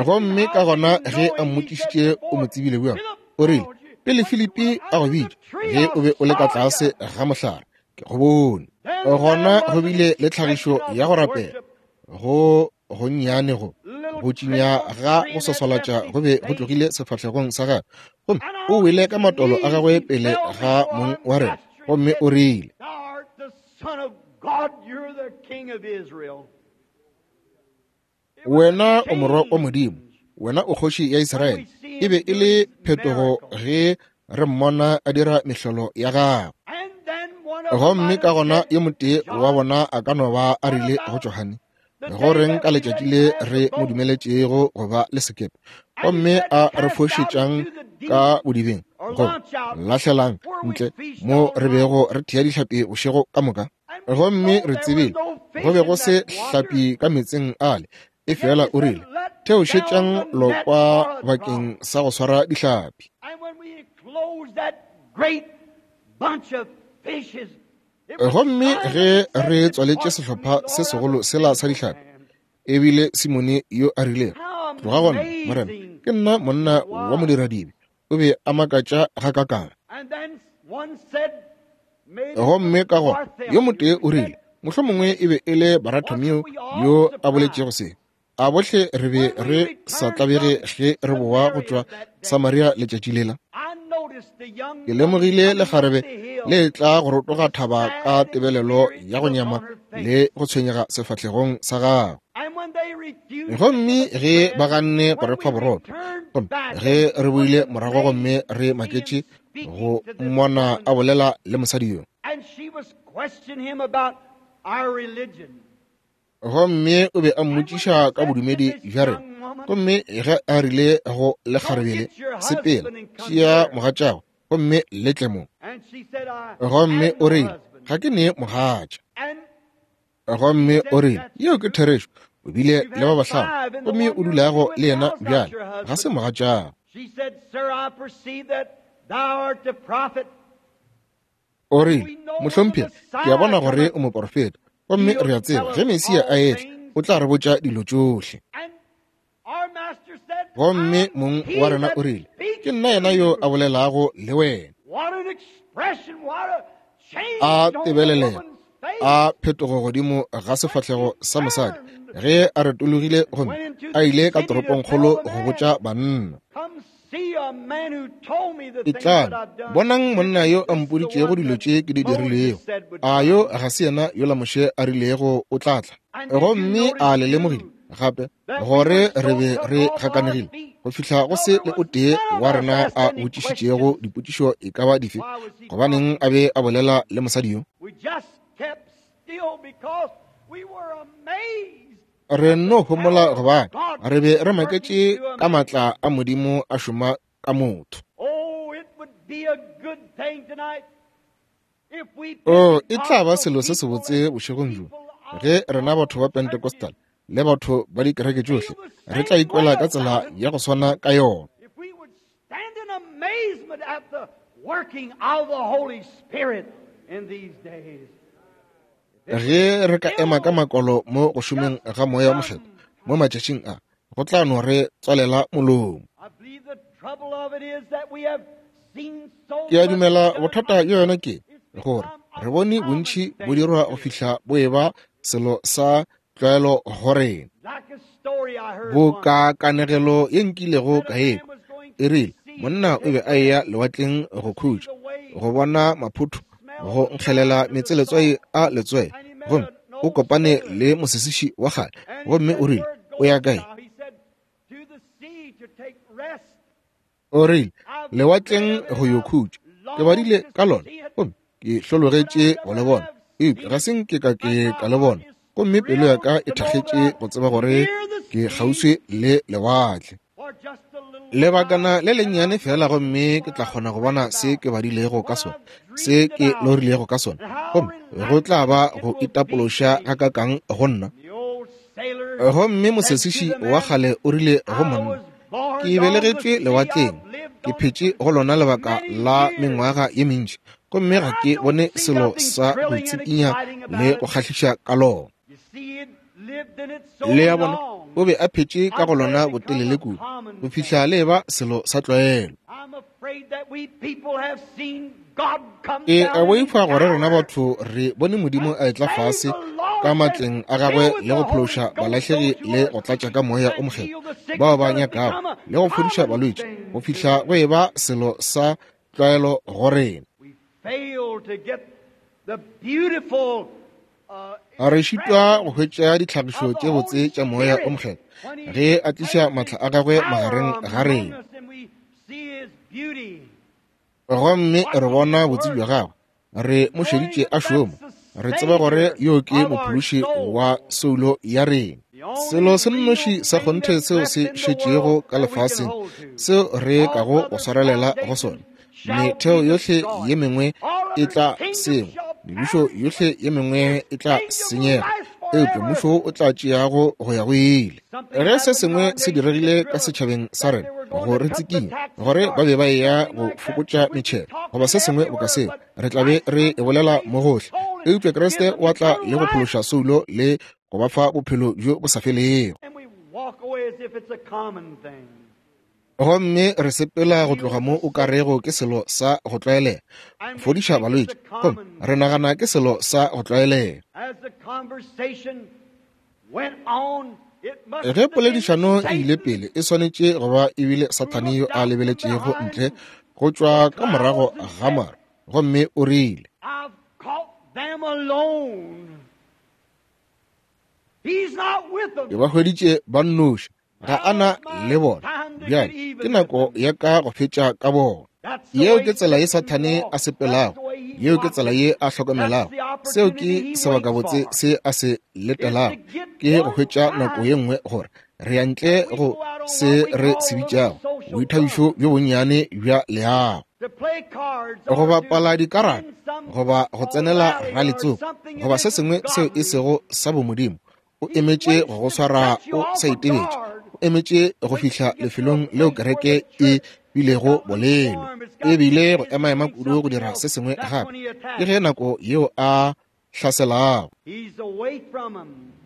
Gomme ka gona ge a mmotšišitše o mo tsebile bjang, o rile, pele Filipi a go bitša, ge o be o le ka tlase ga mohlare, ke go bone. Gona go bile le tlhagišo ya go rapela go gonnyane go go tšinya ga go swaswalatša go be go tlogile sefahlegong sa gagwe, gomme o wele ka matolo a gagwe pele ga mong wa rena, gomme o rile, wena o morwa wa Modimo, wena o kgoši ya Israele. E be e le phetogo ge re mmona a dira mehlolo ya gagwe. Gomme ka gona yo motee wa bona a ka no ba a rile go Johane, go reng ka letšatši le re mo dumeletšego go ba le sekepe, gomme a re fošetšang ka bodibeng, go lahlelang ntle mo re bego re thea dihlapi bošego ka moka? Gomme re tsebile go be go se hlapi ka meetseng ale, e fela o rile, theošetšang lokwa bakeng sa go swara dihlapi. Gomme ge re tswaletše sehlopha se segolo sela sa dihlapi, ebile Simone yo a rilego, tloga gona, Morena, ke nna monna wa modiradibe, o be a makatša gakakang. Gomme ka gona yo motee o rile, mohlomongwe e be e le Baratomeo yo a boletšego se, a bohle re be re sa tlabege ge re boa go tšwa Samaria letšatši lela? Ke lemogile lekgarebe le tla go rotoga thaba ka tebelelo ya go nyama le go tshwenyega sefahlegong sa gagwe. Gomme ge ba ganne go re fa borotho, gomme ge re boile morago gomme re maketše go mmona a bolela le mosadi yo, gomme o be a mmotšiša ka bodumedi bja rena. Gomme ge a rile go lekgarebele, sepela, tšea mogatšago gomme le tle mo. Gomme o rile, ga ke ne mogatša. Gomme o rile, yeo ke therešo, o bile le ba bahlano, gomme o dulago le yena bjale ga se mogatšago. O rile, mohlomphegi, ke a bona gore o moporofeta, gomme re a tseba ge Mesia a etla o tla re botša dilo tšohle. Gomme mong wa rena o rile, ke nna yena yo a bolelago le wena. A tebelelelo, a phetogo godimo ga sefahlego sa mosadi ge a retologile gomme a ile ka toropongkgolo go botša banna. Etlang, bonang monna yo a mpoditšego dilo tše ke di dirilego. A yo ga se yena yola Moshe a rilego o tla tla? Gomme a le lemogile gape gore re be re gakanegile go fihla go se le o tee wa rena a botšišitšego dipotšišo e ka ba dife, gobaneng a be a bolela le mosadi yo? Re nno homola gobane re be re maketše ka maatla a Modimo a šoma ka motho. O, e tla ba selo se sebotse bošegong bjo ge rena batho ba Pentecostal le batho ba dikereke tšohle re tla ikwela ka tsela ya go swana ka yona. Ge re ka ema ka makolo mo go šomeng ga moya wa mokgethwa mo matšatšing a, go tla no re tswalela molomo. Ke a dumela bothata bja yona ke gore re bone bontši bo dirwa go fihla bo eba selo sa tlwaelo go rena. Bo ka kanegelo ye nkilego ka ekwa, e rile monna o be a eya lewatleng go khutša, go bona maphotho, go nkgelela meetse letswai a letswai, gomme o kopane le mosesiši wa kgale, gomme o rile, o ya kae? O rile, lewatleng go yo khutša. Ke badile ka lona, gomme ke hlologetše go le bona, eupša ga se nke ka ke ka le bona, gomme pelo ya ka e thakgetše go tseba gore ke kgauswi le lewatle. Lebakana le lennyane fela gomme ke tla kgona go bona se ke badilego ka sona, se ke lorilego ka sona, gomme go tla ba go itapološa gakakang go nna. Gomme mosesiši wa kgale o rile go monna, ke belegetšwe lewatleng, ke phetše go lona lebaka la mengwaga ye mentši, gomme ga ke bone selo sa go tsikinya le go kgahliša ka lona. Le ya bona, O be a phetše ka go lona botelele kudu go fihla le eba selo sa tlwaelo. Ke a boifa gore rena batho re bone Modimo a etla fase ka matleng a gagwe le go phološa balahlegi le go tlatša ka moya o mokgethwa bao ba nyakago le go fodiša balwetši go fihla go eba selo sa tlwaelo go rena. A re šitwa go hwetša ditlhagišo tše botse tša moya o mokgethwa ge a tliša matla a gagwe magareng ga rena, gomme re bona botse bja gagwe. Re mo šeditše a šoma, re tseba gore yo ke mophološi wa soulo ya rena. Selo se nnoši sa kgonthe seo se šetšego ka lefaseng seo re kago go swarelela go sona, metheo yohle ye mengwe e tla sengwa, mebušo yohle ye mengwe e tla senyega, eupša mmušo o tla tšeago go ya go ile. Ge se sengwe se diregile ka setšhabeng sa rena go re tsikinya gore ba be ba eya go fokotša metšhelo goba se sengwe boka seo, re tla be re e bolela mo gohle. Eupša Kriste o tla le go phološa soulo le go ba fa bophelo bjo bo sa felego. Gomme re sepela go tloga mo o ka rego ke selo sa go tlwaelega, fodiša balwetši, gomme re nagana ke selo sa go tlwaelega. Ge poledišano e ile pele, e swanetše go ba ebile Sathane yo a lebeletšego ntle go tšwa ka morago ga maru, gomme o rile, ke ba hweditše ba nnoši, ga a na le bona. Bjale ke nako ya ka go fetša ka bona. Yeo ke tsela ye Sathane a sepelago, yeo ke tsela ye a hlokomelago. Seo ke sebakabotse se a se letelago, ke go hwetša nako ye nngwe gore re ya ntle go se re se bitšago boithabišo bjo bonnyane bja leago, go bapala dikarata goba go tsenela raletsoko goba se sengwe seo e sego sa bomodimo. O emetše go go swara o sa itebetše, o emetše go fihla lefelong leo kereke e bilego bolelo, ebile go emaema kudu go dira se sengwe gape. Ke ge nako yeo a hlaselago,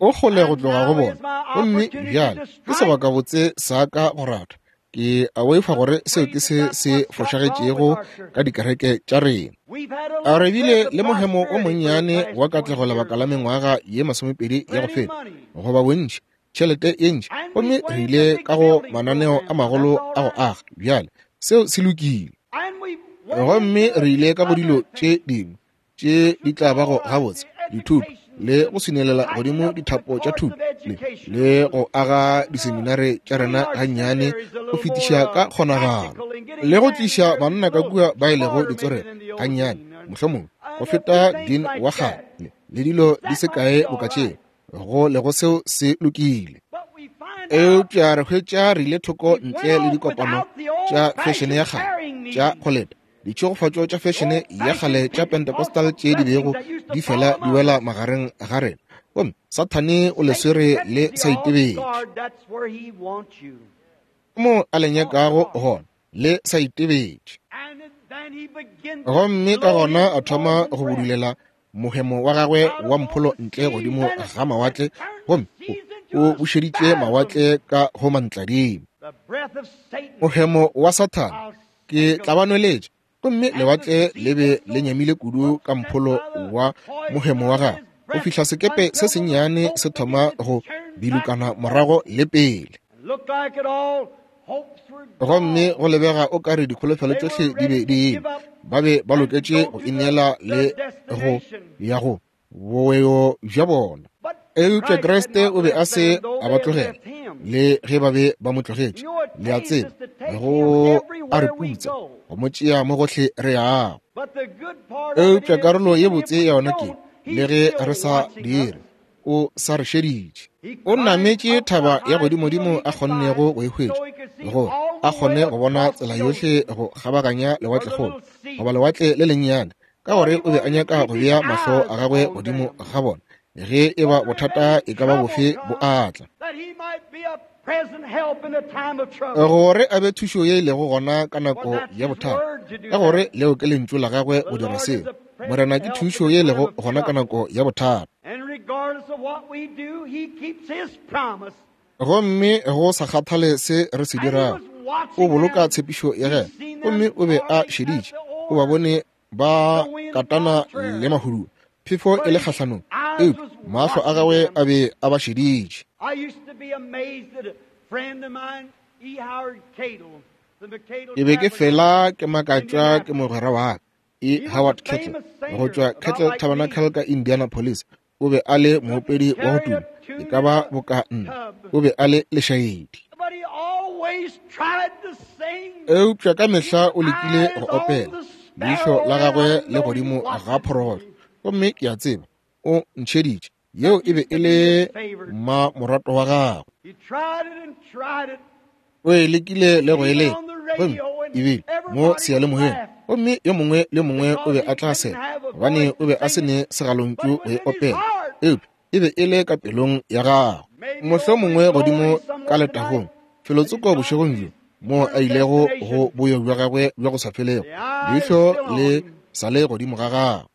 o kgole go tloga go bona. Gomme bjale ke sebakabotse sa ka go rata. Ke a boifa gore seo ke se se fošagetšego ka dikereke tša rena. A re bile le mohemo o monnyane wa katlego lebaka la mengwaga ye masomepedi ya go feta, goba bontši, tšhelete ye ntši, gomme re ile ka go mananeo a magolo a go aga. Bjale seo se lokile. Gomme re ile ka go dilo tše dingwe tše di tla bago gabotse, dithuto le go swinelela godimo dithapo tša thuto le, le go aga diseminare tša rena gannyane go fetiša ka kgonagalo, le go tliša banna ka kua ba e lego ditswerere gannyane, mohlomongwe go feta dean wa kgale le dilo di se kae boka tšeo, go lego seo se lokile. Eupša re hwetša re ile thoko ntle le dikopano tša fešene ya kgale tša go leta, ditšhegofatšo tša fešene ya kgale tša Pentecostal tše di bego di fela di wela magareng ga rena, gomme Sathane o le swere le sa itebetše mo a le nyakago gona, le sa itebetše. Gomme ka gona a thoma go budulela mohemo wa gagwe wa mpholo ntle godimo ga mawatle, gomme o bušeditše mawatle ka go mantladimo. Mohemo wa Sathane ke tla ba nweletša, gomme lewatle le be le nyamile kudu ka mpholo wa mohemo wa gagwe go fihla sekepe se sennyane se thoma go bilukana morago le pele. Gomme go lebega o ka re dikholofelo tšohle di be di ile, ba be ba loketše go ineela le go ya go boyo bja bona. Eupša Kriste o be a se a ba tlogela, le ge ba be ba mo tlogetše. Le a tseba, go a re putsa go mo tšea mo gohle re yago. Eupša karolo ye botse ya yona ke, le ge re sa dire, o sa re šeditše. O nametše thaba ya godimodimo a kgonnego go e hwetša, gore a kgone go bona tsela yohle go kgabaganya lewatlekgolo goba lewatle le lennyane, ka gore o be a nyaka go bea mahlo a gagwe godimo ga bona ge e ba bothata e ka ba bofe bo atla, gore a be thušo ye e lego gona ka nako ya bothata, ka gore leo ke lentšu la gagwe go dira seo. Morena ke thušo ye e lego gona ka nako ya bothata. Gomme go sa kgathale se re se dirago, o boloka tshepišo ya gagwe. Gomme o be a šeditše, o ba bone ba katana le mahudu, phefo e le kgahlanong, eupša mahlo a gagwe a be a ba šeditše. Ke be ke fela ke makatšwa ke mogwera wa ka, E. Howard Kettle, go tšwa Kettle Tabernacle ka Indianapolis. O be a le moopedi wa go tuma, e ka ba boka nna. O be a le lešaedi. Eupša ka mehla o lekile go opela, leihlo la gagwe le godimo ga phorogohlo. Gomme ke a tseba o ntšheditše. Yeo e be e le mmamoratwa wa gagwe. O e lekile le go e leka, gomme ebile mo seyalemoyeng, gomme yo mongwe le mongwe o be a tla sega, gobane o be a se ne segalontšu go e opela, eupša e be e le ka pelong ya gagwe. Mohlomongwe godimo ka letagong, felotsoko bošegong bjo, moo a ilego go boyo bja gagwe bja go sa felego, leihlo le sa le godimo ga gagwe.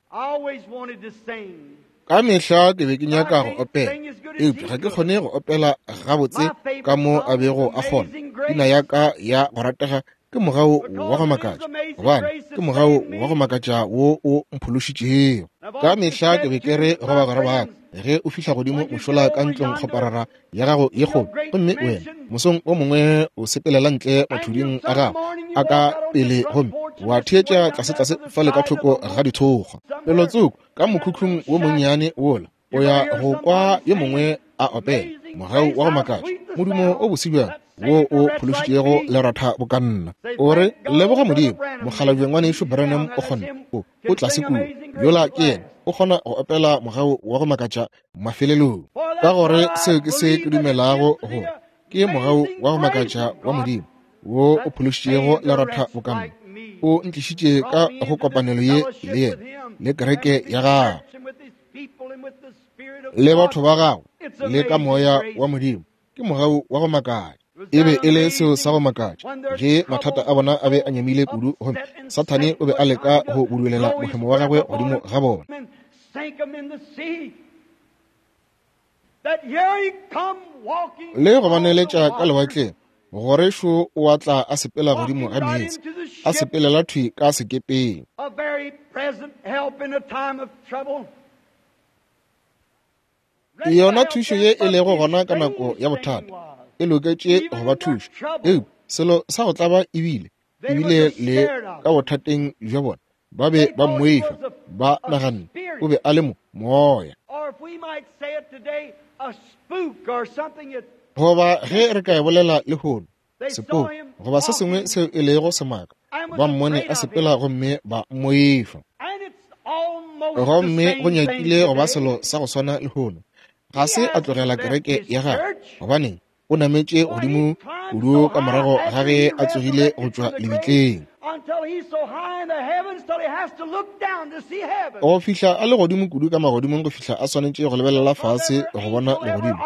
Ka mehla ke be ke nyaka go opela, eupša ga ke kgone go opela gabotse ka mo a bego a kgona. Pina ya ka ya go ratega ke mogau wa go makatša, gobane ke mogau wa go makatša wo o mphološitšego. Ka mehla ke be ke re go bagwera ba ka, ge o fihla godimo mošola ka ntlong kgoparara ya gago ye kgolo, gomme wena mosong o mongwe o sepelela ntle mathuding a gago a ka pele gomme wa theetša tlasetlase fale ka thoko ga dithokgwa, felotsoko ka mokhukhung wo monnyane wola, o ya go kwa yo mongwe a opela mogau wa go makatša, modumo o bose bjang wo o phološitšego leratha bokanna. O re, leboga Modimo, mokgalabje ngwanešu Branham o kgona, o o tlase kua, yola ke yena, o kgona go opela mogau wa go makatša mafelelong. Ka gore seo ke se ke dumelago gore ke mogau wa go makatša wa Modimo wo o phološitšego leratha bokanna, o ntlišitše ka go kopanelo ye le yena le kereke ya gagwe le batho ba gagwe le ka moya wa Modimo. Ke mogau wa go makatša. E be e le seo sa go makatša ge mathata a bona a be a nyamile kudu, gomme Sathane o be a leka go budulela mohemo wa gagwe godimo ga bona. Le go ba neletša ka lewatleng, gore šo o a tla a sepela godimo ga meetse, a sepelela thwi ka sekepeng. Yona thušo ye e lego gona ka nako ya bothata e loketše go ba thuša, eupša selo sa go tlaba ebile ebile le ka bothateng bja bona ba be ba mmoifa, ba naganne o be a le mo moya. Goba ge re ka e bolela lehono, sepoko goba se sengwe seo e lego semaka, ba mmone a sepela gomme ba mmoifa. Gomme go nyakile go ba selo sa go swana lehono. Ga se a tlogela kereke ya gagwe, gobaneng o nametše godimo kudu ka morago ga ge a tsogile go tšwa lebitleng. Go fihla a le godimo kudu ka magodimong go fihla a swanetše go lebelela fase go bona legodimo.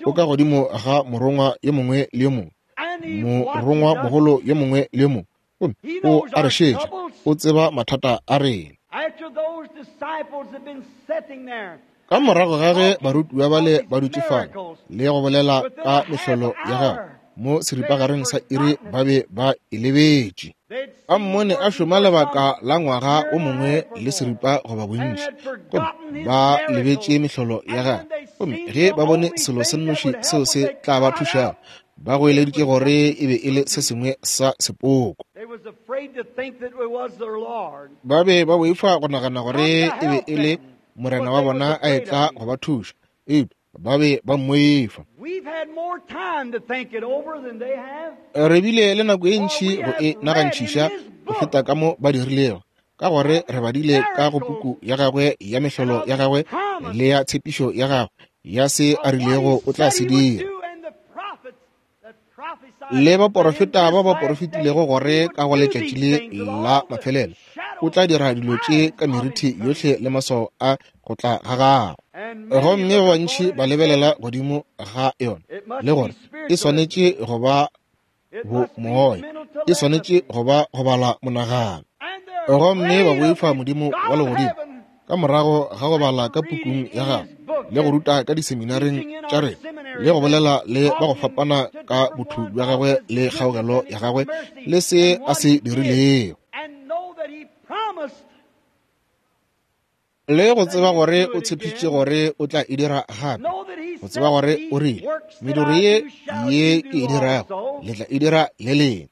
O ka godimo ga morongwa yo mongwe le yo mongwe, morongwa mogolo yo mongwe le yo mongwe, gomme o a re šetša, o tseba mathata a rena. Ka morago ga ge barutiwa bale ba dutše fale le go bolela ka mehlolo ya gagwe mo seripagareng sa iri, ba be ba e lebetše. Ba mmone a šoma lebaka la ngwaga o mongwe le seripa goba bontši, gomme ba lebetše mehlolo ya gagwe. Gomme ge ba bone selo se nnoši seo se tla ba thušago, ba goeleditše gore e be e le se sengwe sa sepoko. Ba be ba boifa go nagana gore e be e le morena wa bona a etla go ba thuša, eupša ba be ba mmoifa. Re bile le nako e ntši go e nagantšhiša go feta ka mo ba dirilego, ka gore re badile ka go puku ya gagwe ya mehlolo ya gagwe le ya tshepišo ya gagwe ya se a rilego o tla se dira. Le baporofeta ba ba porofetilego gore ka go letšatši le la mafelelo o tla dira dilo tše ka meriti yohle le maswao a go tla ga gagwe. Gomme ba bantši ba lebelela godimo ga yona le gore e swanetše go ba bo moya, e swanetše go ba go bala monagano. Gomme ba boifa Modimo wa legodimo ka morago ga go bala ka pukung ya gagwe le go ruta ka diseminareng tša rena le go bolela le ba go fapana ka botho bja gagwe le kgaogelo ya gagwe le se a se dirilego, le go tseba gore o tshepišitše gore o tla e dira gape, go tseba gore o rile, mediro ye ye ke e dirago le tla e dira le lena.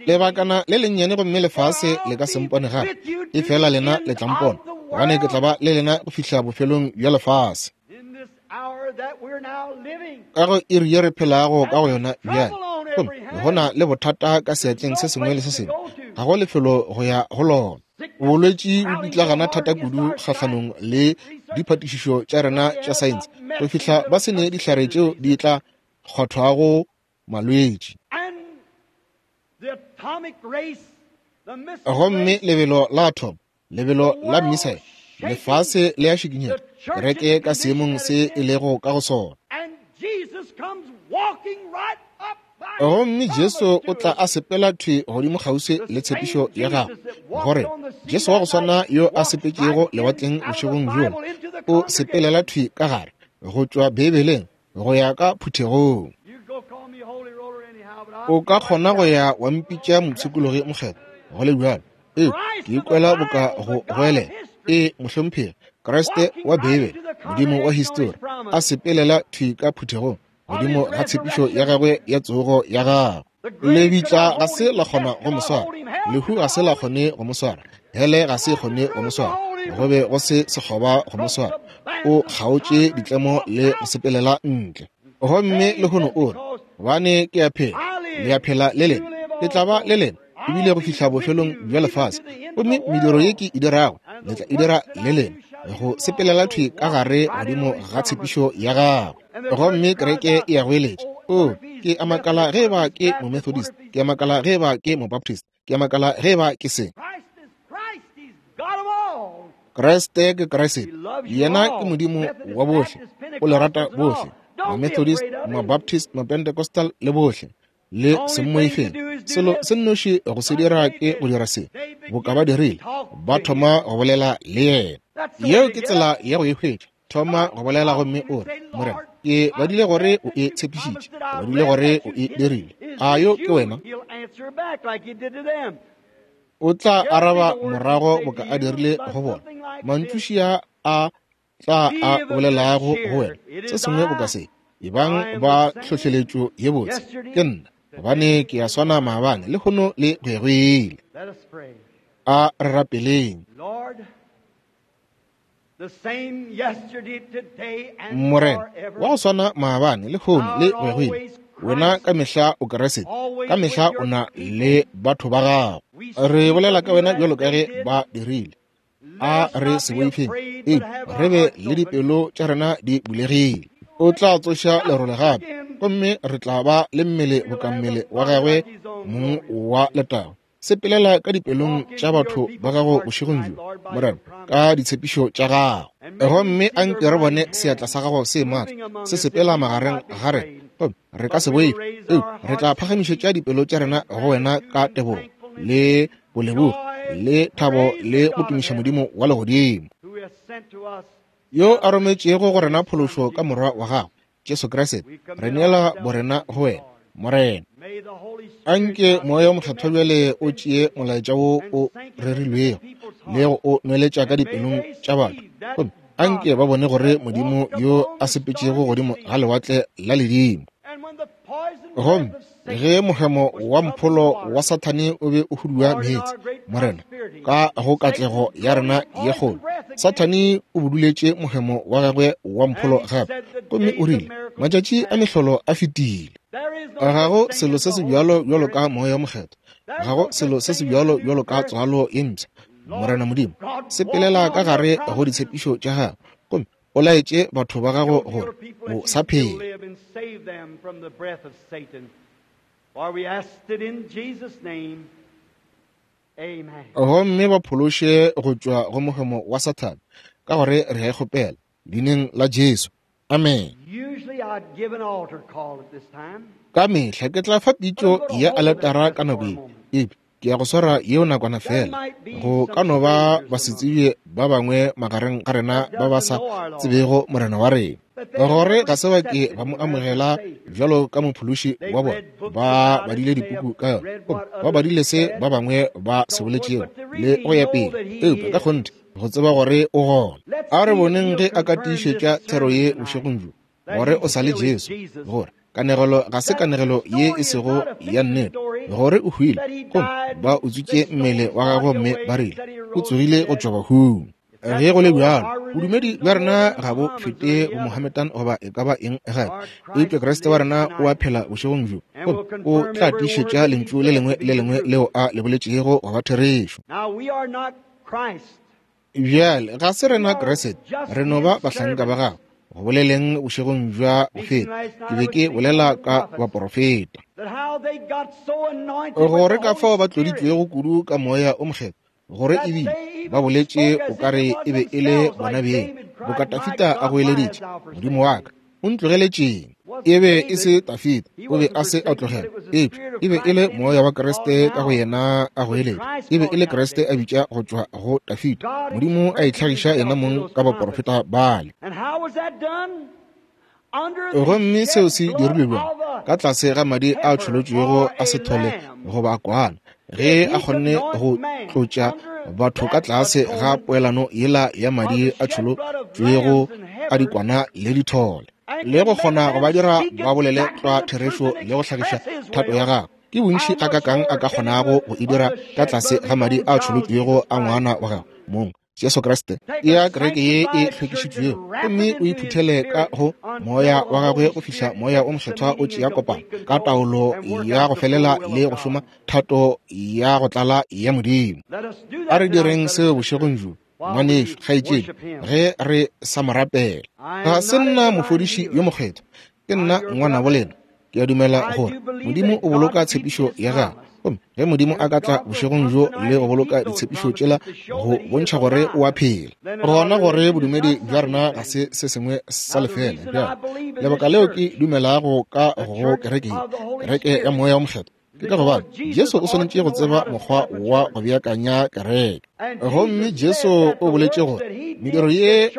Lebakana le lennyane gomme lefase le ka se mpone gape, efela lena le tla mpona, gobane ke tla ba le lena go fihla bofelong bja lefase. Ka go iri ye re phelago ka go yona bjale, gomme go na le bothata ka seatleng se sengwe le se sengwe, ga go lefelo go ya go lona. Bolwetši bo pitlagana thata kudu kgahlanong le diphatišišo tša rena tša saense go fihla ba se ne dihlare tšeo di tla kgwathwago malwetši. Gomme lebelo la atom, lebelo la missile, lefase le a šikinyega, kereke ka seemong se e lego ka go sona. Gomme Jesu o tla a sepela thwi godimo kgauswi le tshepišo ya gagwe, gore Jesu wa go swana yo a sepetšego lewatleng bošegong bjola o sepelela thwi ka gare go tšwa Beibeleng go ya ka phuthegong. O ka kgona go ya wa mpitša mopshikologi mokgethwa go le bjalo, ee, ke ikwela boka go goelela, ee, mohlomphegi, Kriste wa Beibele, Modimo wa histori, a sepelela thwi ka phuthegong godimo ga tshepišo ya gagwe ya tsogo ya gagwe. Lebitla ga se la kgona go mo swara, lehu ga se la kgone go mo swara, hele ga se kgone go mo swara, go be go se sekgoba go mo swara. O kgaotše ditlemo le go sepelela ntle. Gomme lehono o re, gobane ke a phela, le a phela le lena, le tla ba le lena ebile go fihla bofelong bja lefase. Gomme mediro ye ke e dirago le tla e dira le lena, go sepelela thwi ka gare godimo ga tshepišo ya gagwe. Gomme kereke e a goeletša, o, ke a makala ge eba ke Momethodist, ke a makala ge eba ke Mobaptist, ke a makala ge eba ke se. Kriste ke Kriste, yena ke Modimo wa bohle, o le rata bohle, Mamethodist, Mabaptist, Mapentecostal le bohle, le se mmoifeng. Selo se nnoši go se dira ke go dira se boka ba dirile, ba thoma go bolela le yena. Yeo ke tsela ya go e hwetša. Thoma go bolela gomme o re, Morena, ke badile gore o e tshepišitše, ke badile gore o e dirile. A yo ke wena? O tla araba morago boka a dirile go bona. Mantšušia a tla a bolelago go wena se sengwe boka se, ebang ba hlohleletšo ye botse, ke nna, gobane ke a swana maabane, lehono le go ya go ile. A re rapeleng. Morena, wa go swana maabane, lehono le go ya go ile, wena ka mehla o Kriste, ka mehla o na le batho ba gago. Re bolela ka wena bjalo ka ge ba dirile. A re se boifeng, ee, re be le dipelo tša rena di bulegile. O tla tsoša lerole gape, gomme re tla ba le mmele boka mmele wa gagwe mong wa letago. Sepelela ka dipelong tša batho ba gago bošegong bjo, Morena, ka ditshepišo tša gago. Gomme anke re bone seatla sa gago se matla se sepela magareng ga rena, gomme re ka se boife, ee, re tla phagamišetša dipelo tša rena go wena ka tebogo le bolebogo le thabo le go tumiša Modimo wa legodimo, yo a rometšego go rena phološo ka morwa wa gagwe Jesu Kriste. Re neela borena go wena, Morena. Anke Moya o Mokgethwa bjale o tšee molaetša wo o rerilwego le go o nweletša ka dipelong tša batho, gomme anke ba bone gore Modimo yo a sepetšego godimo ga lewatle la ledimo, gomme ge mohemo wa mpholo wa Sathane o be o hudua meetse, Morena, ka go katlego ya rena ye kgolo, Sathane o buduletše mohemo wa gagwe wa mpholo gape, gomme o rile, matšatši a mehlolo a fetile. Ga go selo se se bjalo bjalo ka Moya o Mokgethwa, ga go selo se se bjalo bjalo ka tswalo ye mpsha. Morena Modimo, sepelela ka gare go ditshepišo tša gago, gomme o laetše batho ba gago gore o sa phela. Gomme ba phološe go tšwa go mohemo wa Sathane, ka gore re a e kgopela leineng la Jesu. Amen. Ka mehla ke tla fa pitšo ya aletara ka nako ye, eupša Ke ya go swara yeo nakwana fela. Go ka no ba basetsebje ba bangwe magareng ga rena ba ba sa tsebego Morena wa rena, gore ga se ba ke ba mo amogela bjalo ka mophološi wa bona. Ba badile dipuku ka yona, ba badile se ba bangwe ba se boletšego le go ya pele, eupša ka kgonthe go tseba gore o gona. A re boneng ge a ka tiišetša thero ye bošegong bjo, gore o sa le Jesu, gore kanegelo ga se kanegelo ye e sego ya nnete, gore o hwile gomme ba utswitše mmele wa gagwe mme ba rile o tsogile go tšwa bahung. Ge go le bjalo, bodumedi bja rena ga bo fete bomohammedan goba e ka ba eng gape, eupša Kriste wa rena o a phela bošegong bjo, gomme o tla tiišetša lentšu le lengwe le lengwe leo a le boletšego go ba therešo. Bjale ga se rena Kriste, re no ba bahlanka ba gagwe. Go boleleng bošegong bja go feta, ke be ke bolela ka baporofeta, gore ka fao ba tloditšwego kudu ka moya o mokgethwa, gore ebile ba boletše o ka re e be e le bona beng, boka Dafida a goeleditše, Modimo wa ka, o ntlogeletšeng? E be e se Dafida, o be a se a tlogela, eupša e be e le moya wa Kriste ka go yena a goeletša. E be e le Kriste a bitša go tšwa go Dafida, Modimo a itlhagiša yena mong ka baporofeta bale. Gomme seo se dirilwe bjang? Ka tlase ga madi a tšholotšwego a sethole goba kwana, ge a kgonne go tlotša batho ka tlase ga poelano yela ya madi a tšholotšwego a dikwana le dithole, le go kgona go ba dira ba bolele tlwa therešo le go hlagiša thato ya gagwe. Ke bontši a kakang a ka kgonago go e dira ka tlase ga madi a tšholotšwego a ngwana wa gagwe mong, Jesu Kriste, ya kereke ye e hlwekišitšwego, gomme o iphuthele ka go moya wa gagwe go fihla moya o mokgethwa o tšea kopano ka taolo ya go felela le go šoma thato ya go tlala ya Modimo. A re direng seo bošegong bjo, ngwanešo, kgaetšedi, ge re sa mo rapela. Ga se nna mofodiši yo mokgethwa, ke nna ngwanabo lena. Ke a dumela gore Modimo o boloka tshepišo ya gagwe, gomme ge Modimo a ka tla bošegong bjo le go boloka ditshepišo tšela go bontšha gore o a phela, gona gore bodumedi bja rena ga se se sengwe sa lefela. Bjale lebaka leo ke dumelago ka go kereke ye, kereke ya moya o mokgethwa, ke ka gobane Jesu o swanetše go tseba mokgwa wa go beakanya kereke. Gomme Jesu o boletše gore mediro ye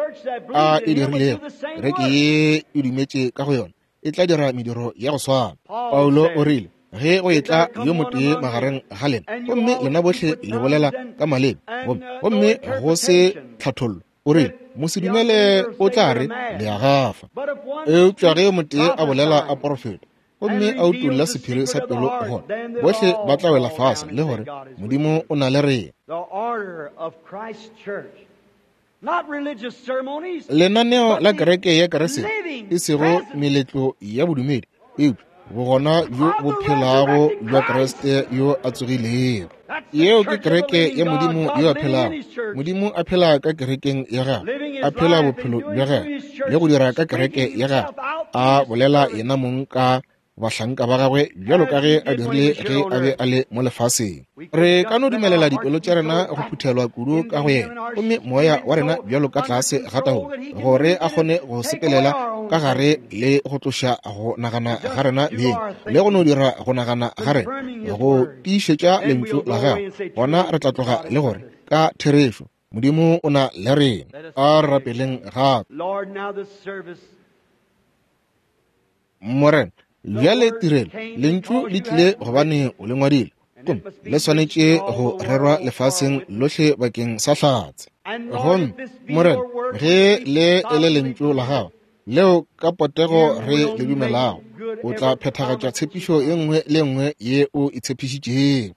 a e dirilego, kereke ye e dumetše ka go yona, e tla dira mediro ya go swana. Paulo o rile, ge go etla yo motee magareng ga lena, gomme lena bohle le bolela ka maleme, gomme go se tlhathollo, o rile, mosedumele o tla re le a gafa. Eupša ge yo motee a bolela a porofeta, gomme a utolla sephiri sa pelo, gona bohle ba tla wela fase le gore Modimo o na le rena. Lenaneo la kereke ya Kriste e sego meletlo ya bodumedi, eupša bogona bjo bo phelago bja Kriste yo a tsogilego. Yeo ke kereke ya Modimo yo a phelago. Modimo a phela ka kerekeng ya gagwe, a phela bophelo bja gagwe le go dira ka kereke ya gagwe, a bolela yena mong ka bahlanka ba gagwe bjalo ka ge a dirile ge a be a le mo lefaseng. Re ka no dumelela dipelo tša rena go phuthelwa kudu ka go yena, gomme moya wa rena bjalo ka tlase ga taolo, gore a kgone go sepelela ka gare le go tloša go nagana ga rena beng, le go no dira go nagana ga rena go tiišetša lentšu la gagwe. Gona re tla tloga le gore ka therešo Modimo o na le rena. A re rapeleng gape. Morena, bjale tirelo lentšu le tlile gobane o le ngwadile, gomme le swanetše go rerwa lefaseng lohle bakeng sa hlatse. Gomme Morena, ge le e le lentšu la gago leo ka potego re le dumelago, o tla phethagatša tshepišo ye nngwe le nngwe ye o e tshepišitšego.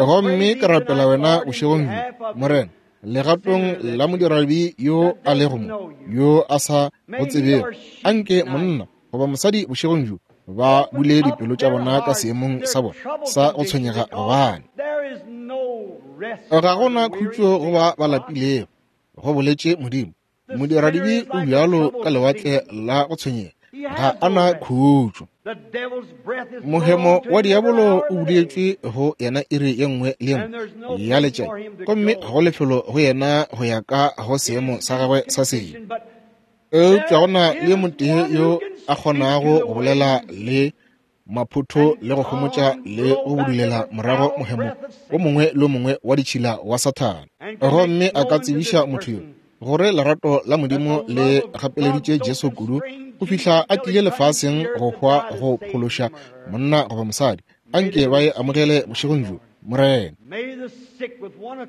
Gomme ke rapela wena bošegong bjo, Morena, legatong la modirabi yo a lego mo, yo a sa go tsebego, anke monna goba mosadi bošegong bjo ba bule dipelo tša bona ka seemong sa bona sa go tshwenyega, gobane ga gona khutšo go ba ba lapilego, go boletše Modimo. Modiradibe o bjalo ka lewatle la go tshwenyega, ga a na khutšo. Mohemo wa diabolo o buletšwe go yena iri ye nngwe le ye nngwe ya letšatši, gomme ga go lefelo go yena go ya ka go seemo sa gagwe sa sebe. Eupša go na le motee yo a kgonago go bolela le maphotho le go homotša le go budulela morago mohemo o mongwe le o mongwe wa ditšhila wa Sathane. Gomme a ka tsebiša motho yo gore lerato la Modimo le gapeleditše Jesu kudu go fihla a tlile lefaseng go hwa go phološa monna goba mosadi. Anke ba e amogele bošegong bjo, Morena.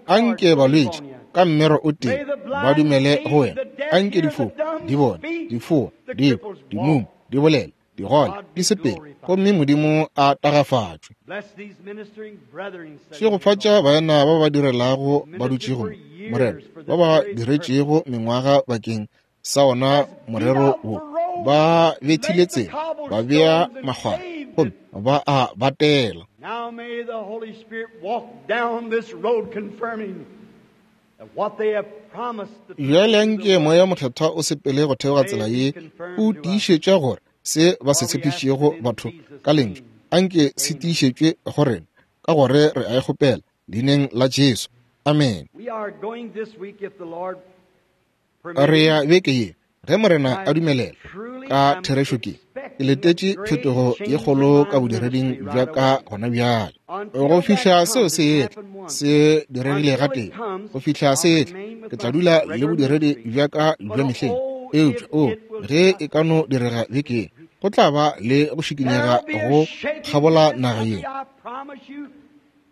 Anke balwetši ka mmero o tee ba dumele go wena. Anke difofu di bone, difoa di kwe, dimumu di bolele, digole di sepele, gomme Modimo a tagafatšwe. Šegofatša baena ba ba direlago ba dutšego mo, Morena, ba ba diretšego mengwaga bakeng sa ona morero wo. Ba bethile tsela, ba bea makgwara, gomme ba a batela. Now may the Holy Spirit walk down this road confirming that what they have promised the Bjale anke Moya Mokgethwa o sepele go theoga tsela ye, o tiišetša gore se ba se tshepišitšego batho ka lentšu, anke se tiišetšwe go rena, ka gore re a e kgopela leineng la Jesu. Amen. We are going this week if the Lord Re ya beke ye, ge Morena a dumelela, ka therešo ke ke letetše phetogo ye kgolo ka bodireding bja ka gona bjale. Go fihla seo se etla, se diregile gatee. Go fihla se etla, ke tla dula le bodiredi bja ka bja mehleng. Eupša o, ge e ka no direga beke ye, go tla ba le go šikinyega go kgabola naga ye.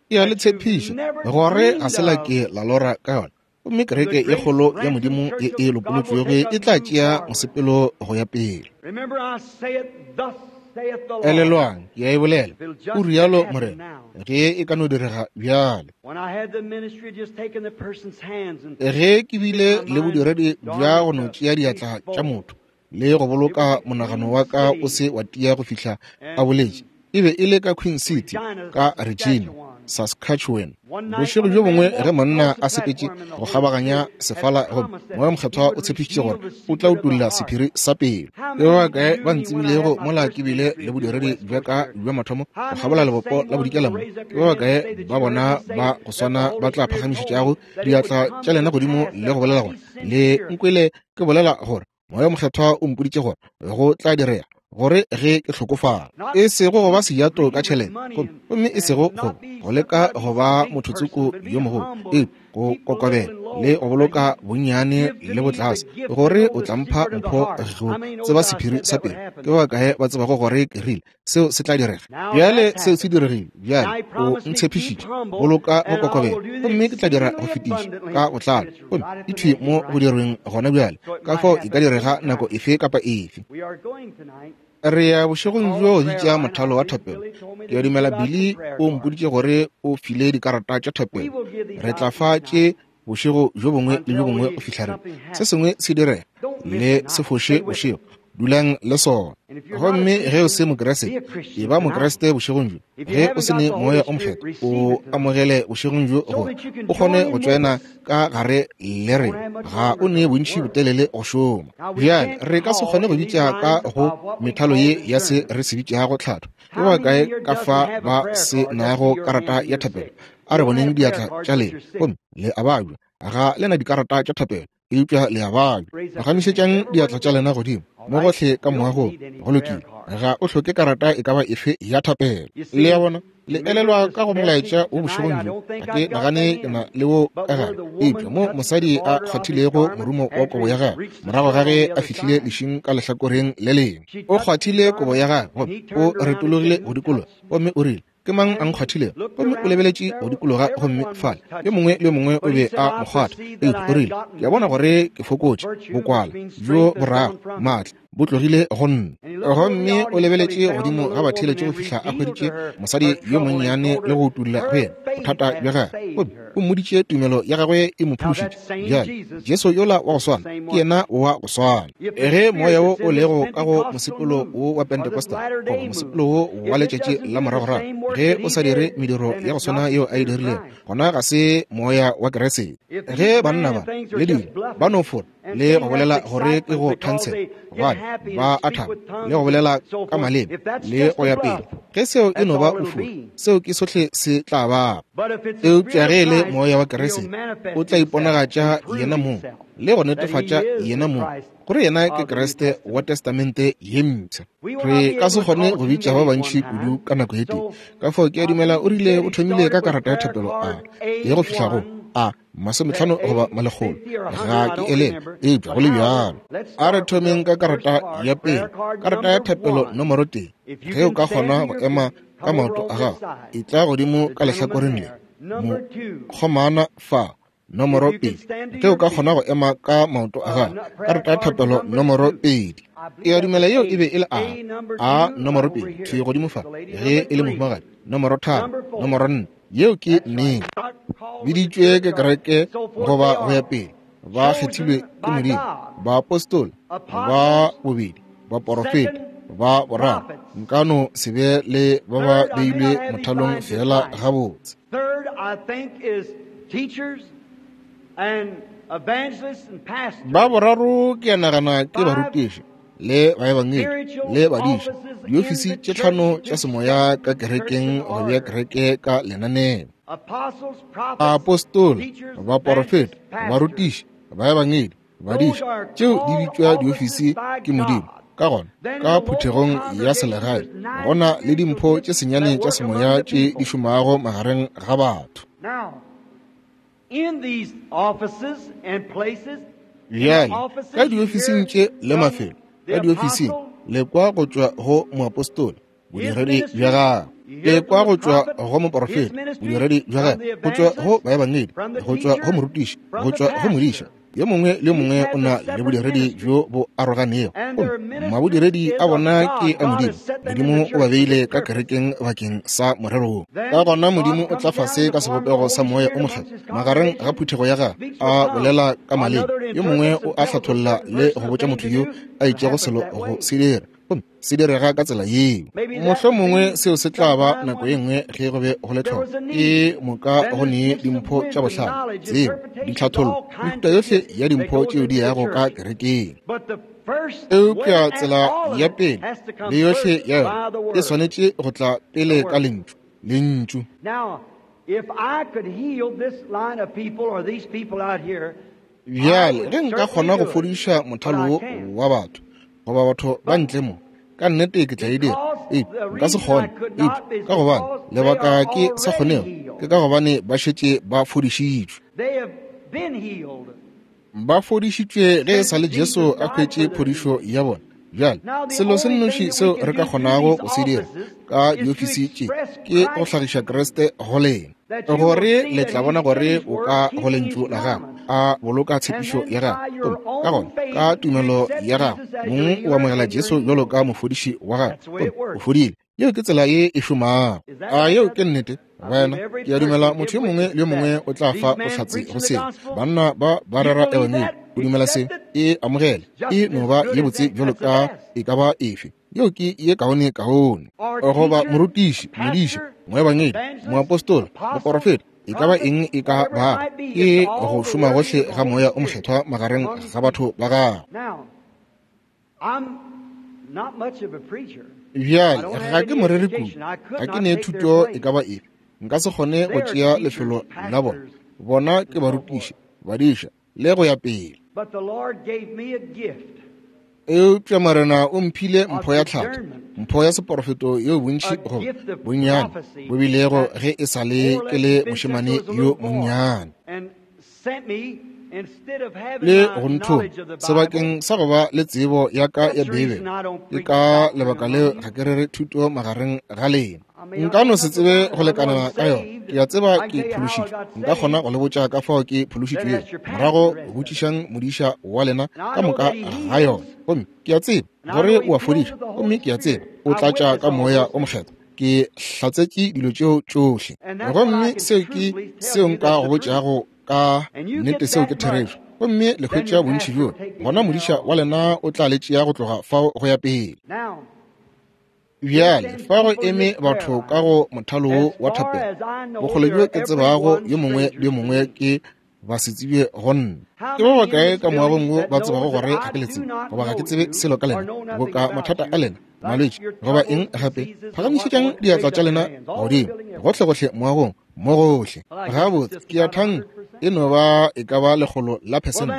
Ke a le tshepiša gore ga se la ke la lora ka yona. Gomme kereke ye kgolo ya Modimo ye e lopolotšwego e tla tšea mosepelo go ya pele. Remember, I say it, thus saith the Lord. Elelwang, ke a e bolela, o rialo Morena, ge e ka no direga bjale. When I had the ministry of just taking the person's hands and Ge ke bile le bodiredi bja go no tšea diatla tša motho le go boloka monagano wa ka o se wa tia go fihla a boletše, e be e le ka Queen City, ka Regina, Saskatchewan. Bošego bjo bongwe ge monna a sepetše go kgabaganya sefala, gomme Moya Mokgethwa o tshepišitše gore o tla utolla sephiri sa pelo. Ke ba bakae ba ntsebilego mola ke bile le bodiredi bja ka bja mathomo go kgabola lebopo la bodikela mo? Ke ba bakae ba bona ba go swana ba tla phagamišetšago diatla tša lena godimo le go bolela gore le nkwele ke bolela gore Moya Mokgethwa o mpoditše gore go tla direga gore ge ke hlokofala, e sego go ba sejato ka tšhelete, gomme e sego go go leka go ba mothotsoko yo mogolo, eupša go kokobela le go boloka bonnyane le botlase, gore o tla mpha mpho go tseba sephiri sa pelo. Ke ba bakae ba tsebago gore ke rile seo se tla direga? Bjale seo se diregile. Bjale o ntshepišitše boloka go kokobela, gomme ke tla dira go fetiša ka botlalo, gomme e thwi mo go dirweng gona bjale. Ka fao e ka direga nako efe kapa efe. We are going tonight. Re ya bošegong bjo go bitša mothalo wa thapelo. Ke a dumela Billy o mpoditše gore o file dikarata tša thapelo. Re tla fa tše bošego bjo bongwe le bjo bongwe go fihla re se sengwe se direga. Le se foše bošego, dulang le sona. Gomme ge o se Mokriste, e ba Mokriste bošegong bjo. Ge o se ne Moya o Mokgethwa, o amogele bošegong bjo gore o kgone go tšoena ka gare le rena. Ga o ne bontši botelele go šoma. Bjale re ka se kgone go bitša ka go methalo ye ya se re se bitšago tlhatho. Ke ba bakae ka fa ba se nago karata ya thapelo? A re boneng diatla tša lena, gomme le a babja. Ga le na dikarata tša thapelo, eupša le a babja. Phagamišetšang diatla tša lena godimo mo gohle ka moagong. Go lokile. Ga o hloke karata e ka ba efe ya thapelo. Le a bona, le elelwa ka go molaetša wo bošegong bjo. Ga ke nagane ke na le wo ka gare, eupša mo mosadi a kgwathilego morumo wa kobo ya gagwe morago ga ge a fihlile lešing ka lehlakoreng le lengwe. O kgwathile kobo ya gagwe, gomme o retologile go dikologa, gomme o rile, ke mang a nkgwathilego? Gomme o lebeletše go dikologa, gomme fale yo mongwe le yo mongwe o be a mo kgwatha. Eupša o rile, ke a bona gore ke fokotše, bokwala bjo borago, maatla bo tlogile go nna. Gomme o lebeletše godimo ga batheeletši go fihla a hweditše mosadi yo monnyane le go utolla go yena bothata bja gagwe, gomme o mmoditše tumelo ya gagwe e mo phološitše. Bjale Jesu yola wa go swana ke yena wa go swana. Ge moya wo o lego ka go mosepelo wo wa Pentecostal goba mosepelo wo wa letšatši la moragorago, ge o sa dire mediro ya go swana yeo a e dirilego, gona ga se moya wa Keresete. Ge banna ba le dilo ba no fora le go bolela gore ke go thansela, gobane ba a thaba le go bolela ka maleme le go ya pele, ge seo e no ba bofora, seo ke sohle se tla ba. Eupša ge e le Moya wa Kriste o tla iponagatša yena mong le go netefatša yena mong gore yena ke Kriste wa Testamente ye mpsha. Re ka se kgone go bitša ba bantši kudu ka nako e tee. Ka fao ke a dumela o rile o thomile ka karata ya thapelo a ye go fihla go a masometlhano goba malekgolo, ga ke elele, eupša go le bjalo. A re thomeng ka karata ya pele, karata ya thapelo nomoro tee. Ge o ka kgona go ema ka maoto a gago, e tla godimo ka lehlakoreng le mokgomana fa nomoro pedi. Ge o ka kgona go ema ka maoto a gago, karata ya thapelo nomoro pedi. Ke a dumela yeo e be e le a a nomoro pedi thwi godimo fa, ge e le mohumagadi nomoro tharo, nomoro nne. Yeo ke nnete. Biditšwe ke kereke goba go ya pele, ba kgethilwe ke Modimo, baapostola ba bobedi, baporofeta ba boraro. Nka no se be le ba ba beilwe mothalong fela gabotse. Ba boraro ke a nagana ke barutiši le baebangedi le badiši, diofisi tše tlhano tša semoya ka kerekeng go bea kereke ka lenaneo. Apostola, baporofeta, barutiši, baebangedi, badiši, tšeo di bitšwa diofisi ke Modimo. Ka gona ka phuthegong ya selegae go na le dimpho tše senyane tša semoya tše di šomago magareng ga batho. Bjale ka diofising tše le mafelo, ka diofising le kwa go tšwa go moapostola, bodiredi bja gagwe, le kwa go tšwa go moporofeta, bodiredi bja gagwe, go tšwa go baebangedi, go tšwa go morutiši, go tšwa go modiša. Yo mongwe le mongwe o na le bodiredi bjo bo aroganego, gomme mabodiredi a bona ke a Modimo. Modimo o ba beile ka kerekeng bakeng sa morero wo. Ka gona Modimo o tla fase ka sebopego sa Moya o Mokgethwa magareng ga phuthego ya gagwe, a bolela ka maleme. Yo mongwe o a hlatholla le go botša motho yo a itšego selo go se dira, gomme se direga ka tsela yeo. Mohlomongwe seo se tla ba nako ye nngwe ge go be go le tlhoko. Ke moka go nee dimpho tša bohlale, tsebo, ditlhathollo, mehuta yohle ya dimpho tšeo di yago ka kerekeng. Eupša tsela ya pele le yohle ya yona e swanetše go tla pele ka lentšu, lentšu. Bjale ge nka kgona go fodiša mothalo wo wa batho goba batho ba ntle mo, ka nnete ke tla e dira. Eupša nka se kgone. Eupša ka gobane lebaka ke sa kgonego ke ka gobane ba šetše ba fodišitšwe. Ba fodišitšwe ge e sa le Jesu a hwetše phodišo ya bona. Bjale selo se nnoši seo re ka kgonago go se dira ka diofisi tše ke go hlagiša Kriste go lena, gore le tla bona gore o ka go lentšu la gagwe, a boloka tshepišo ya gagwe. Gomme ka gona ka tumelo ya gagwe mong o amogela Jesu bjalo ka mofodiši wa gagwe, gomme o fodile. Yeo ke tsela ye e šomago. A yeo ke nnete? Wena, ke a dumela motho yo mongwe le yo mongwe o tla fa bohlatse go seo. Banna ba ba rera ebangedi, o dumela se, e amogele, e no ba ye botse bjalo ka e ka ba efe. Yeo ke ye kaone kaone. Goba morutiši, modiši, moebangedi, moapostola, moporofeta, e ka ba eng e ka ba, ke go šoma gohle ga Moya o Mokgethwa magareng ga batho ba gagwe. Bjale ga ke moreri kudu, ga ke ne thuto e ka ba efe, nka se kgone go tšea lefelo la bona. Bona ke barutiši, badiša le go ya pele. Eupša Morena o mphile mpho ya tlhatho, mpho ya seporofeto yeo bontši goba bonnyane bo bilego ge e sa le ke le mošemane yo monnyane, le go nthoma sebakeng sa go ba le tsebo ya ka ya Beibele. Ke ka lebaka leo ga ke rere thuto magareng ga lena. Nka no se tsebe go lekanela ka yona. Ke a tseba ke phološitšwe, nka kgona go le botša ka fao ke phološitšwego. Morago botšišang modiša wa lena ka moka ga yona. Gomme ke a tseba gore o a fodiša, gomme ke a tseba o tlatša ka Moya o Mokgethwa. Ke hlatsetše dilo tšeo tšohle, gomme seo ke seo nka go botšago ka nnete, seo ke therešo. Gomme le hwetša bontši bjo, gona modiša wa lena o tla le tšea go tloga fao go ya pele. Bjale fa go eme batho ka go mothalo wo wa thapelo, bokgole bjo ke tsebago yo mongwe le yo mongwe ke ba se tsebe go nna. Ke ba bakae ka moagong wo ba tsebago gore ga ke le tsebe, goba ga ke tsebe selo ka lena, boka mathata a lena, malwetši goba eng gape? Phagamišetšang diatla tša lena godimo gohlegohle moagong, mo gohle. Gabotse, ke a thanka e no ba e ka ba lekgolo la phesente.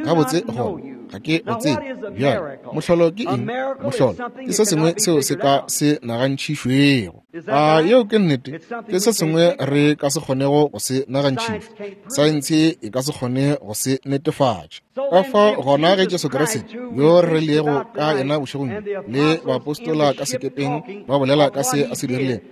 Gabotse gona ga ke o tsebe. Bjale mohlolo ke eng? Mohlolo ke se sengwe seo se ka se nagantšhišwego. A yeo ke nnete? Ke se sengwe re ka se kgonego go se nagantšhišwa. Saense e ka se kgone go se netefatša. Ka fao gona ge Jesu Kriste yo re lego ka yena bošegong le baapostola ka sekepeng ba bolela ka se a se dirilego,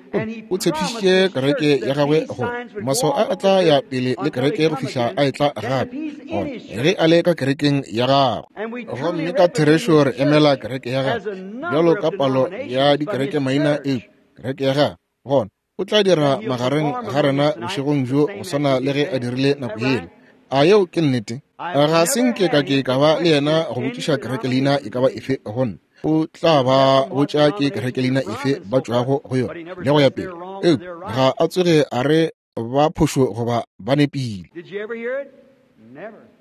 o tshepišitše kereke ya gagwe gore maswao a a tla ya pele le kereke go fihla a etla gape, gore ge a le ka kerekeng ya gagwe. Gomme ka therešo re emela kereke ya gagwe bjalo ka palo ya dikereke maina eo kereke ya gagwe. Gona o tla dira magareng ga rena bošegong bjo go swana le ge a dirile nako yela. A yeo ke nnete? Ga se nke ka ke ka ba le yena go botšiša kereke leina e ka ba efe go nna. O tla ba botša ke kereke leina efe ba tšwago go yona le go ya pele. Eupša ga a tsoge a re ba phošo goba ba nepile.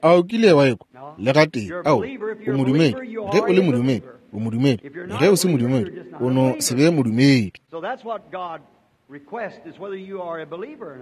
A o kile wa ekwa? Le gatee. Ao, o modumedi. Ge o le modumedi, o modumedi. Ge o se modumedi, o no se be modumedi.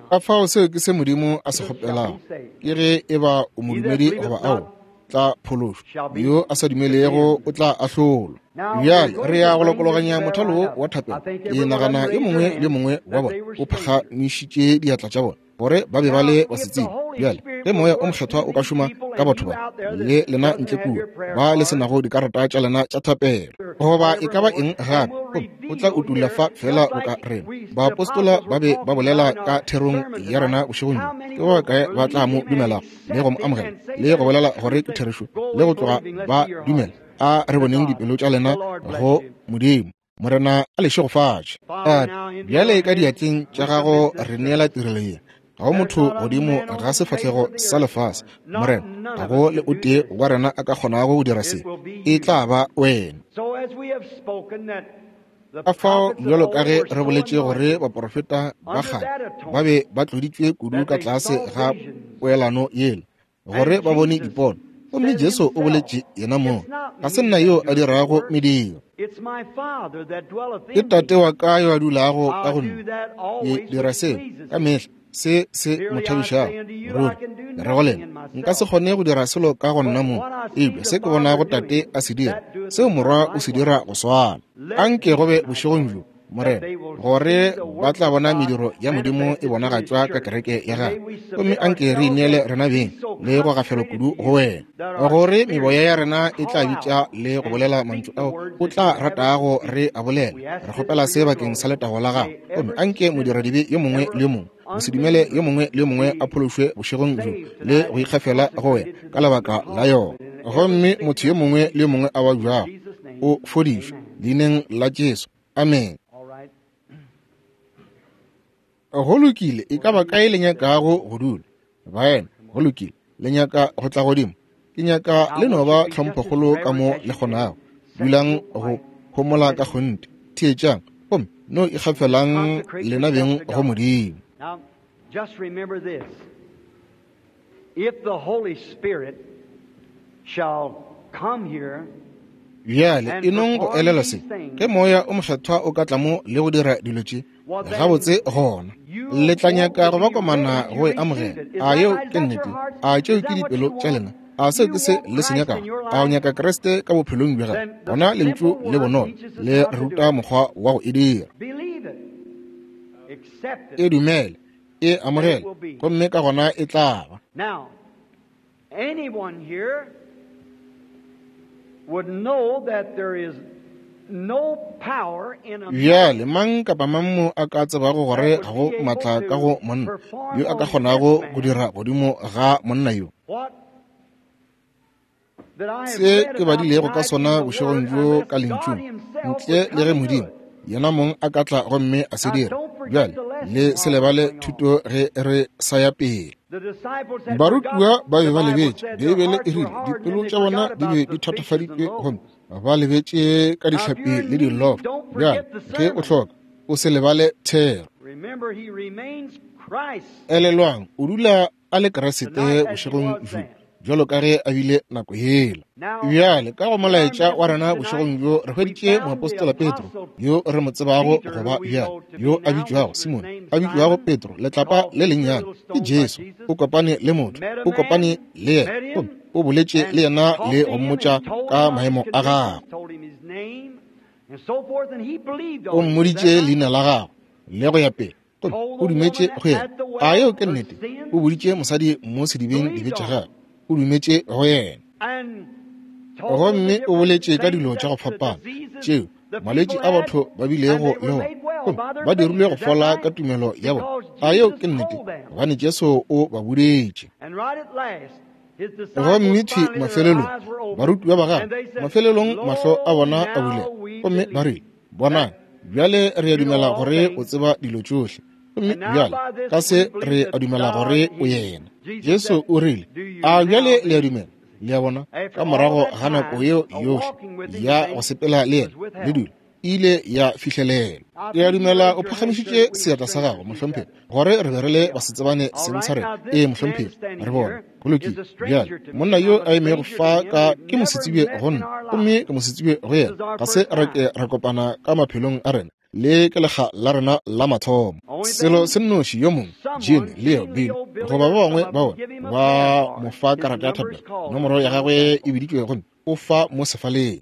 Ka fao seo ke se Modimo a se kgopelago, ke ge e ba o modumedi goba ao tla phološwa. Yo a sa dumelego o tla ahlolwa. Bjale re ya go lokologanya mothalo wo wa thapelo. Ke nagana yo mongwe le yo mongwe wa bona o phagamišitše diatla tša bona gore ba be ba le ba se tsebe. Bjale ge moya o mokgethwa o ka šoma ka batho ba le lena ntle kua ba le senago dikarata tša lena tša thapelo goba e ka ba eng gape, o tla utulla fa fela boka rena. Baapostola ba be ba bolela ka therong ya rena bošegong bjo, ke ba kae ba tla mo dumelago le go mo amogela le go bolela gore ke therešo le go tloga ba dumela? A re boneng dipelo tša lena go Modimo. Morena a le šegofatše. Tate, bjale ka diatleng tša gago re neela tirelo ye. Ga go motho godimo ga sefahlego sa lefase, Morena, ga go le o tee wa rena a ka kgonago go dira se. E tla ba wena. Ka fao bjalo ka ge re boletše gore baprofeta ba kgale ba be ba tloditšwe kudu ka tlase ga poelano yela gore ba bone dipono, gomme Jesu o boletše yena mong, ga se nna yo a dirago mediro, ke Tate wa ka yo a dulago ka go nna. Ke dira seo ka mehla se se mo thabišago. Ruri ke re go lena, nka se kgone go dira selo ka go nna mong, eupša se ke bonago Tate a se dira, seo Morwa o se dira go swana. Anke go be bošegong bjo, Morena, gore ba tla bona mediro ya Modimo e bonagatšwa ka kereke ya gagwe. Gomme anke re ineele rena beng le go gafela kudu go wena, gore meboya ya rena e tla bitša le go bolela mantšu ao o tla ratago re a bolela. Re kgopela se bakeng sa letago la gago. Gomme anke modiradibe yo mongwe le yo mongwe, mosedumele yo mongwe le yo mongwe a phološwe bošegong bjo le go ikgafela go wena ka lebaka la yona. Gomme motho yo mongwe le yo mongwe a babjago o fodišwe leineng la Jesu. Amen. Go lokile, e ka ba kae le nyakago go dula? Baena, go lokile, le nyaka go tla godimo? Ke nyaka le no ba tlhomphokgolo ka mo le kgonago. Dulang go homola ka kgonthe. Theetšang, gomme no ikgafelang lena beng go Modimo. Now, just remember this. If the Holy Spirit shall come here, Bjale e nong go elela se, ge moya o mokgethwa o ka tla mo le go dira dilo tše gabotse, gona le tla nyaka go ba komana go e amogela. A yeo ke nnete? A tšeo ke dipelo tša lena? A seo ke se le se nyakago? A o nyaka Kriste ka bophelong bja gago? Gona lentšu le bonolo le ruta mokgwa wa go e dira. E dumele, e amogele, gomme ka gona e tla ba. Now, anyone here would know that there is no power in a Bjale mang kapa mang mo a ka tsebago gore ga go maatla ka go monna yo a ka kgonago go dira godimo ga monna yo. What that I have Se read ke about badilego ka tonight sona in the bošegong Word, bjo unless ka God lentšung, Himself ntle would le ge come to Modimo it. yena mong a ka tla gomme a se Now, dira. don't forget Bjale the lesson le se while lebale it's going on. thuto ge re sa ya pele. The disciples had Barutiwa forgotten. ba be The ba Bible lebetše. said their Beibele e hearts were rile hardened dipelo and they tša bona forgot di about be the di fishes and thatafaditšwe gomme loaves. ba lebetše ka Now, if dihlapi you're in le need, dilofo. don't Bjale forget the ge o sermon. hloka, o se lebale thero. Remember, he remains Christ Elelwang, o dula a le Kriste tonight as he bošegong was bjo then. Jwalo ka ge a bile nako yela. Bjale ka go molaetša wa rena bošegong bjo re hweditše moapostola Petro, yo re mo tsebago go ba bjale, yo a bitšwago Simone, a bitšwago Petro, letlapa le lennyane. Ke Jesu, o kopane le motho, o kopane le yena, gomme o boletše le yena le go mmotša ka maemo a gagwe. O mmoditše leina la gagwe le go ya pele, gomme o dumetše go yena. A yeo ke nnete? O boditše mosadi mo sedibeng dibe tša gagwe, o dumetše go yena. Gomme o boletše ka dilo tša go fapana tšeo malwetši a batho ba bilego le ona, gomme ba dirilwe go fola ka tumelo ya bona. A yeo ke nnete? Gobane Jesu o ba boditše. Gomme thwi mafelelong barutiwa ba gagwe, mafelelong mahlo a bona a bulega, gomme ba rile, bonang, bjale re a dumela gore o tseba dilo tšohle, gomme bjale ka se re a dumela gore o yena. Jesu o rile, a bjale le a dumela? Le a bona, ka morago ga nako yeo yohle ya go sepela le yena le dula, ile ya fihlelela. Ke a dumela o phagamišitše seatla sa gago, mohlomphegi, gore re be re le basetsebane seng sa rena. Ee, mohlomphegi, re bona. Go lokile. Bjale monna yo a emego fa ka ke mosetsebje go nna, gomme ke mosetsebje go yena. Ga se re ke ra kopana ka maphelong a rena, le ke lekga la rena la mathomo. Selo se nnoši, yo mongwe, Jim, Leo, Bill, goba ba bangwe ba bona ba mo fa karata ya thapelo, nomoro ya gagwe e biditšwe gomme o fa mo sefaleng.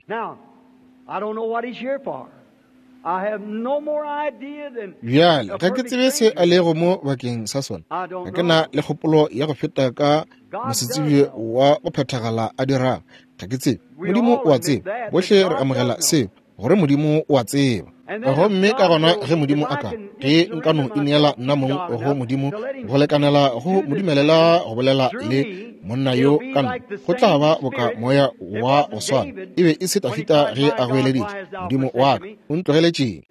Bjale ga ke tsebe se a lego mo bakeng sa sona. Ga ke na le kgopolo ya go feta ka mosetsebje wa go phethagala a dirang. Ga ke tsebe. Modimo o a tseba. Bohle re amogela seo, gore Modimo o a tseba. Gomme ka gona ge Modimo a ka, ge nka no ineela nna mong go Modimo go lekanela go mo dumelela go bolela le monna yo ka nna, go tla ba boka moya wa go swana. E be e se Dafita ge a goeleditše, Modimo wa ka, o ntlogeletšeng?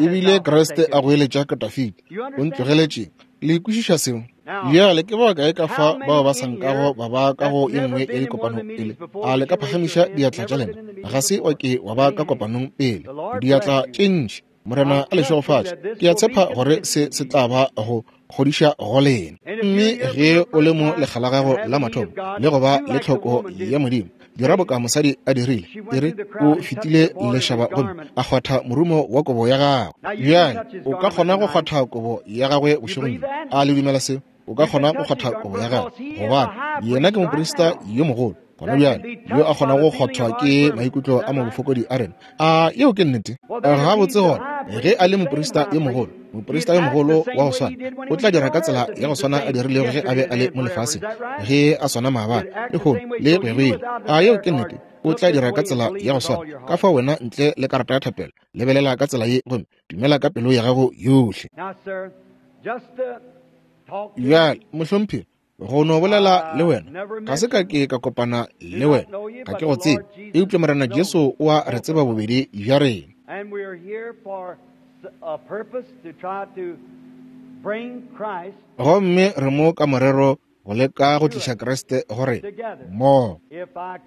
Ebile Kriste a goeletša ka Dafita, o ntlogeletšeng? Le kwešiša seo? Bjale ke ba kae ka fa bao ba sa nkago ba ba ka go e nngwe ya dikopano pele? A le ka phagamiša diatla tša lena? Ga se wa ke wa ba ka kopanong pele. Diatla tše ntši. Morena a le šegofatše. Ke a tshepa gore se se tla ba go kgodiša go lena. Mme ge o le mo lekga la gago la mathomo le go ba le tlhoko ya Modimo, dira boka mosadi a dirile. E re o fetile lešaba gomme a kgwatha morumo wa kobo ya gagwe. Bjale o ka kgona go kgwatha kobo ya gagwe bošegong bjo. A le dumela seo? O ka kgona go kgwatha kobo ya gagwe, gobane yena ke moprista yo mogolo gona bjale yo a kgonago go kgwathwa ke maikutlo a mabofokodi a rena. A yeo ke nnete? Gabotse gona, ge a le moprista yo mogolo, moprista yo mogolo wa go swana, o tla dira ka tsela ya go swana a dirilego ge a be a le mo lefaseng, ge a swana maabane, lehono le go ya go ile. A yeo ke nnete? O tla dira ka tsela ya go swana. Ka fao wena ntle le karata ya thapelo, lebelela ka tsela ye gomme dumela ka pelo ya gago yohle. Bjale, mohlomphegi, go no bolela le wena, ga se ka ke ka kopana le wena, ga ke go tsebe, eupša Morena Jesu o a re tseba bobedi bja rena. Gomme re mo ka morero go leka go tliša Kriste go rena mmogo.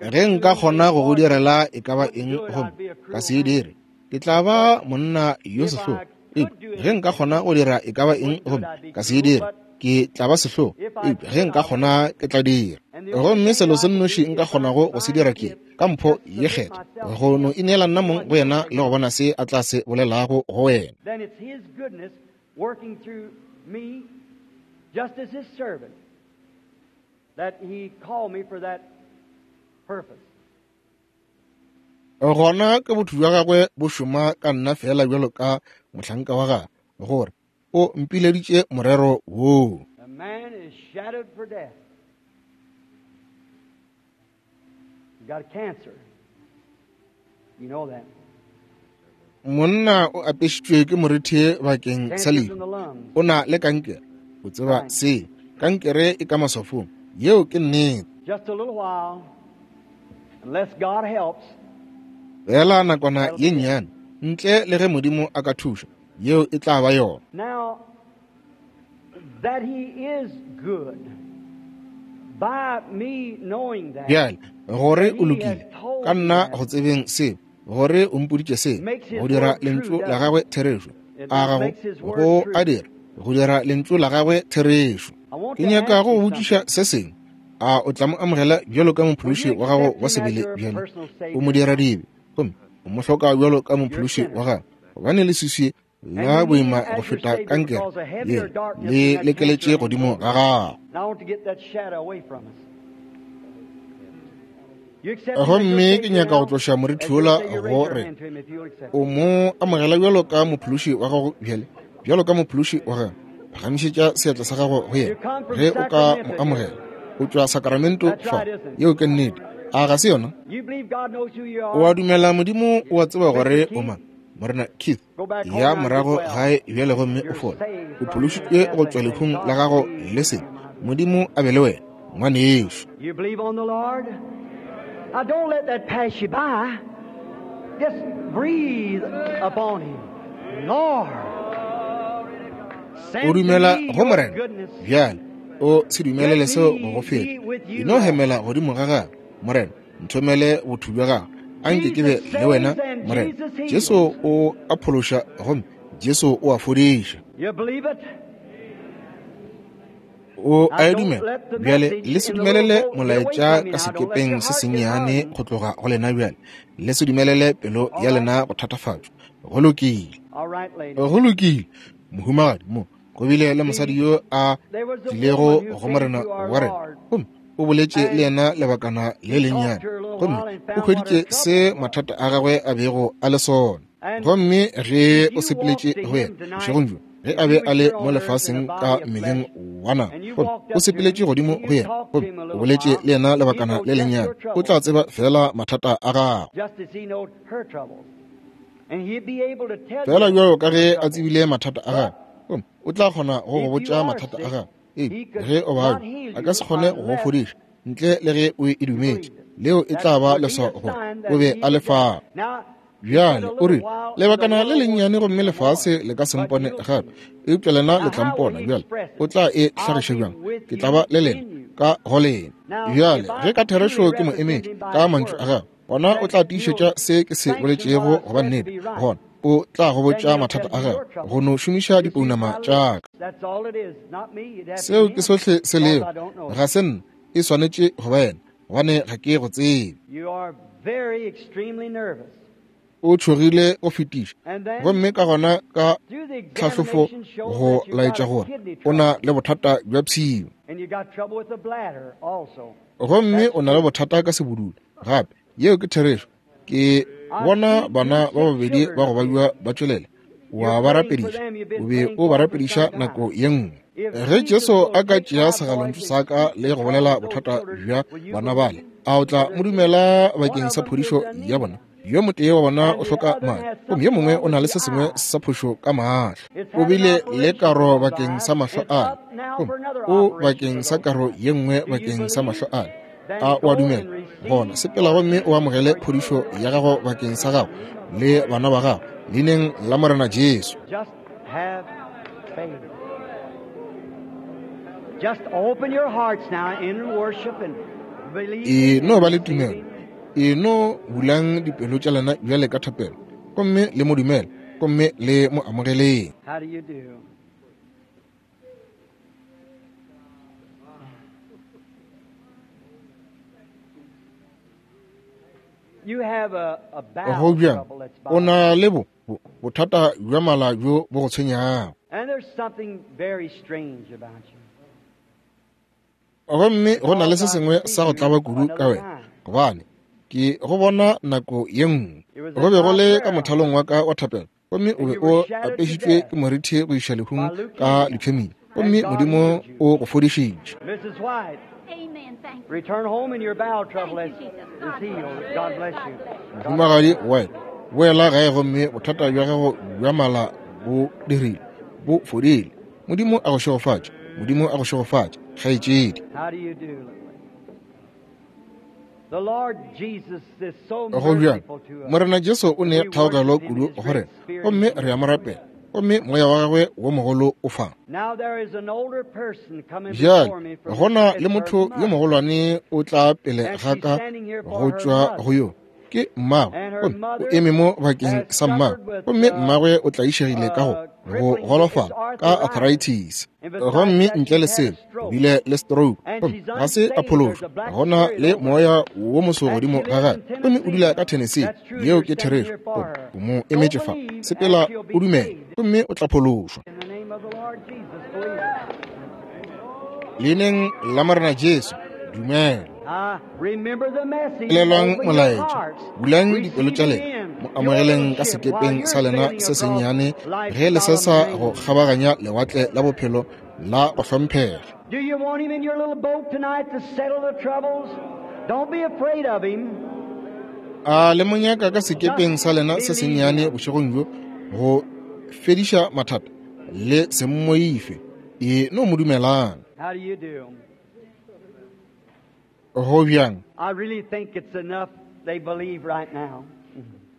Ge nka kgona go go direla e ka ba eng gomme ka se e dire, ke tla ba monna yo sehlogo. Eupša ge nka kgona go dira e ka ba eng gomme ka se e dire, ke tla ba sehlogo. Eupša ge nka kgona, ke tla dira. Gomme selo se nnoši nka kgonago go se dira ke ka mpho ye kgethwa, go no ineela nna mong go yena le go bona se a tla se bolelago go wena. Gona ke botho bja gagwe bo šoma ka nna fela bjalo ka mohlanka wa gagwe, gore o mpileditše morero woo. Monna o apešitšwe ke morethe bakeng sa lehu. O na le kankere. O tseba se. Kankere e ka maswafong. Yeo ke nnete. Fela nakwana ye nnyane, ntle le ge Modimo a ka thuša, yeo e tla ba yona. Now, that he is good, by me knowing that, Bjale, gore o lokile, ka nna go tsebeng seo, gore o mpoditše seo, go dira lentšu la gagwe therešo, a gago go a dira, go dira lentšu la gagwe therešo. Ke nyaka go botšiša se sengwe. A o tla mo amogela bjalo ka mophološi wa gago wa sebele bjalo? O mo dira dibe, gomme o mo hloka bjalo ka mophološi wa gago, gobane leswiswi la boima go feta kankere le le lekeletše godimo ga gago. Gomme ke nyaka go tloša morithi wola go re o mo amogela bjalo ka mophološi wa gago bjale, bjalo ka mophološi wa gago. Phagamišetša seatla sa gago go yena ge o ka mo amogela. O tšwa Sacramento fa. Yeo ke nnete. A ga se yona? O a dumela Modimo o a tseba gore o mang? Morena Keith, ya morago gae bjale gomme o fole. O phološitšwe go tšwa lehung la gago le sebe. Modimo a be le wena, ngwanešo. Now don't let that pass you by. Just breathe upon him. Lord, o dumela go Morena bjale, o se dumelele seo go go feta. E no hemela godimo ga gagwe. Morena, nthomele botho bja gago, anke ke be le wena. Morena Jesu o a phološa gomme Jesu o a fodiša. O a e dumela bjale. Le se dumelele molaetša ka sekepeng se sennyane go tloga go lena bjale. Le se dumelele pelo ya lena go thatafatšwa. Go lokile, go lokile. Mohumagadi mo go bile le mosadi yo a tlilego go Morena wa rena, gomme o boletše le yena lebakana le lennyane, gomme o hweditše se mathata a gagwe a bego a le sona. Gomme ge o sepeletše go yena bošegong bjo, ge a be a le mo lefaseng ka mmeleng wa nama, gomme o sepeletše godimo go yena, gomme o boletše le yena lebakana le lennyane, o tla tseba fela mathata a gagwe, fela bjalo ka ge a tsebile mathata a gagwe, gomme o tla kgona go go botša mathata a gagwe. Ee, ge o babja, a ka se kgone go go fodiša ntle le ge o e dumetše. Leo e tla ba leswao gore o be a le fao. Bjale o rile, lebakana le lennyane gomme lefase le ka se mpone gape, eupša lena le tla mpona. Bjale o tla e hlagiša bjang? Ke tla ba le lena ka go lena. Bjale ge ka therešo ke mo emetše ka mantšu a gagwe, gona o tla tiišetša se ke se boletšego goba nnete. Gona o tla go botša mathata a gagwe go no šomiša dipounama tša ka. Seo ke sohle se lego. Ga se nna, e swanetše go ba yena, gobane ga ke go tsebe. O tšhogile go fetiša, gomme ka gona ka tlhahlofo go laetša gore o na le bothata bja pshio, gomme o na le bothata ka sebudula gape. Yeo ke therešo. Ke bona bana ba babedi ba go badiwa ba tšwelela, wa ba rapediša, o be o ba rapediša nako ye nngwe. Ge Jesu a ka tšea segalontšu sa ka le go bolela bothata bja bana bale, a o tla mo dumela bakeng sa phodišo ya bona? Yo motee wa bona o hloka madi, gomme yo mongwe o na le se sengwe sa phošo ka mahlo. O bile le karo bakeng sa mahlo ale, gomme o bakeng sa karo ye nngwe bakeng sa mahlo ale. A o a dumela? Gona sepela gomme o amogele phodišo ya gago bakeng sa gago le bana ba gago, leineng la Morena Jesu. E no ba le tumelo. E no bulang dipelo tša lena bjale ka thapelo, gomme le mo dumele, gomme le mo amogeleng. Go bjang? O na le bo bothata bja mala bjo bo go tshwenyago, gomme go na le se sengwe sa go tlaba kudu ka wena, gobane ke go bona nako ye nngwe go be go le ka mothalong wa ka wa thapelo, gomme o be o apešitšwe ke morithi go iša lehung ka leukemia, gomme Modimo o go fodišitše. Mohumagadi White, boela gae gomme bothata bja gago bja mala bo dirile, bo fodile. Modimo a go šegofatše. Modimo a go šegofatše, kgaetšedi. Go bjang? Morena Jesu o ne kgaogelo kudu go rena, gomme re a mo rapela, gomme moya wa gagwe wo mogolo o fa. Bjale go na le motho yo mogolwane o tla pele ga ka go tšwa go yo ke mmagwe, gomme o eme mo bakeng sa mmagwe, gomme mmagwe o tlaišegile ka go go golofala ka arthritis, gomme ntle le selo o bile le stroke, gomme ga se a phološwa. Gona le moya wo moso godimo ga gagwe, gomme o dula ka Tennessee. Yeo ke therešo. O mo emetše fa. Sepela o dumele, gomme o tla phološwa. Leineng la Morena Jesu, dumela. Elelwang molaetša, bulang dipelo tša lena, mo amogeleng ka sekepeng sa lena se sennyane ge le sesa go kgabaganya lewatle la bophelo la go hlomphega. Do you want him in your little boat tonight to settle the troubles? Don't be afraid of him. A le monyaka ka sekepeng sa lena se sennyane bošegong bjo go fediša mathata? Le se mmoife, e no mo dumelang. How do you do? Go bjang? I really think it's enough they believe right now.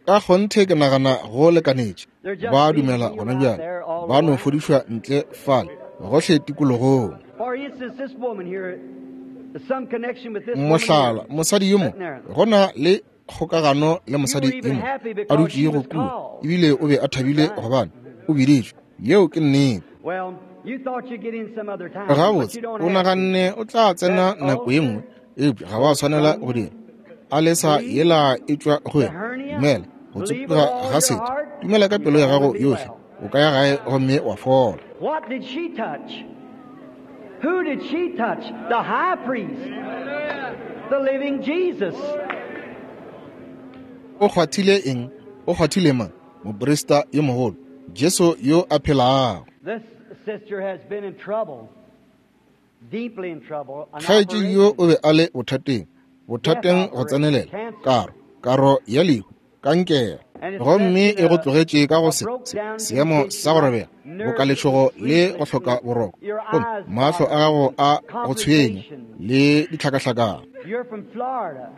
Ka kgonthe ke nagana go lekanetše. Ba dumela gona bjale. Ba no fodišwa ntle fale gohle tikologong. For instance, this woman here, there's some connection with this woman Mohlala, mosadi yo mo gona le kgokagano le mosadi yo mo a dutšego kua, ebile o be a thabile gobane o biditšwe. Yeo ke nnete. Well, you thought you'd get in some other time, but Gabotse you don't o have to. naganne o tla tsena nako ye nngwe, eupša ga wa swanela go dira. A lesa yela e tšwa go wena. Dumela go tsopoga ga setho. Dumela ka pelo ya gago yohle, o ka ya gae gomme wa fola. What did she touch? Who did she touch? The high priest, the living Jesus. O kgwathile eng? O kgwathile mang? Moprista yo mogolo, Jesu yo a phelago. This sister has been in trouble, deeply in trouble. An Kgaetšedi yo operation. o be a le bothateng, bothateng go tsenelela, karo, karo ya lehu, kankere, gomme e go tlogetše ka go se se seemo sa go robega, bokaletšhogo le go hloka boroko, gomme mahlo a gago a go tshwenya le ditlhakahlakano. You're from Florida,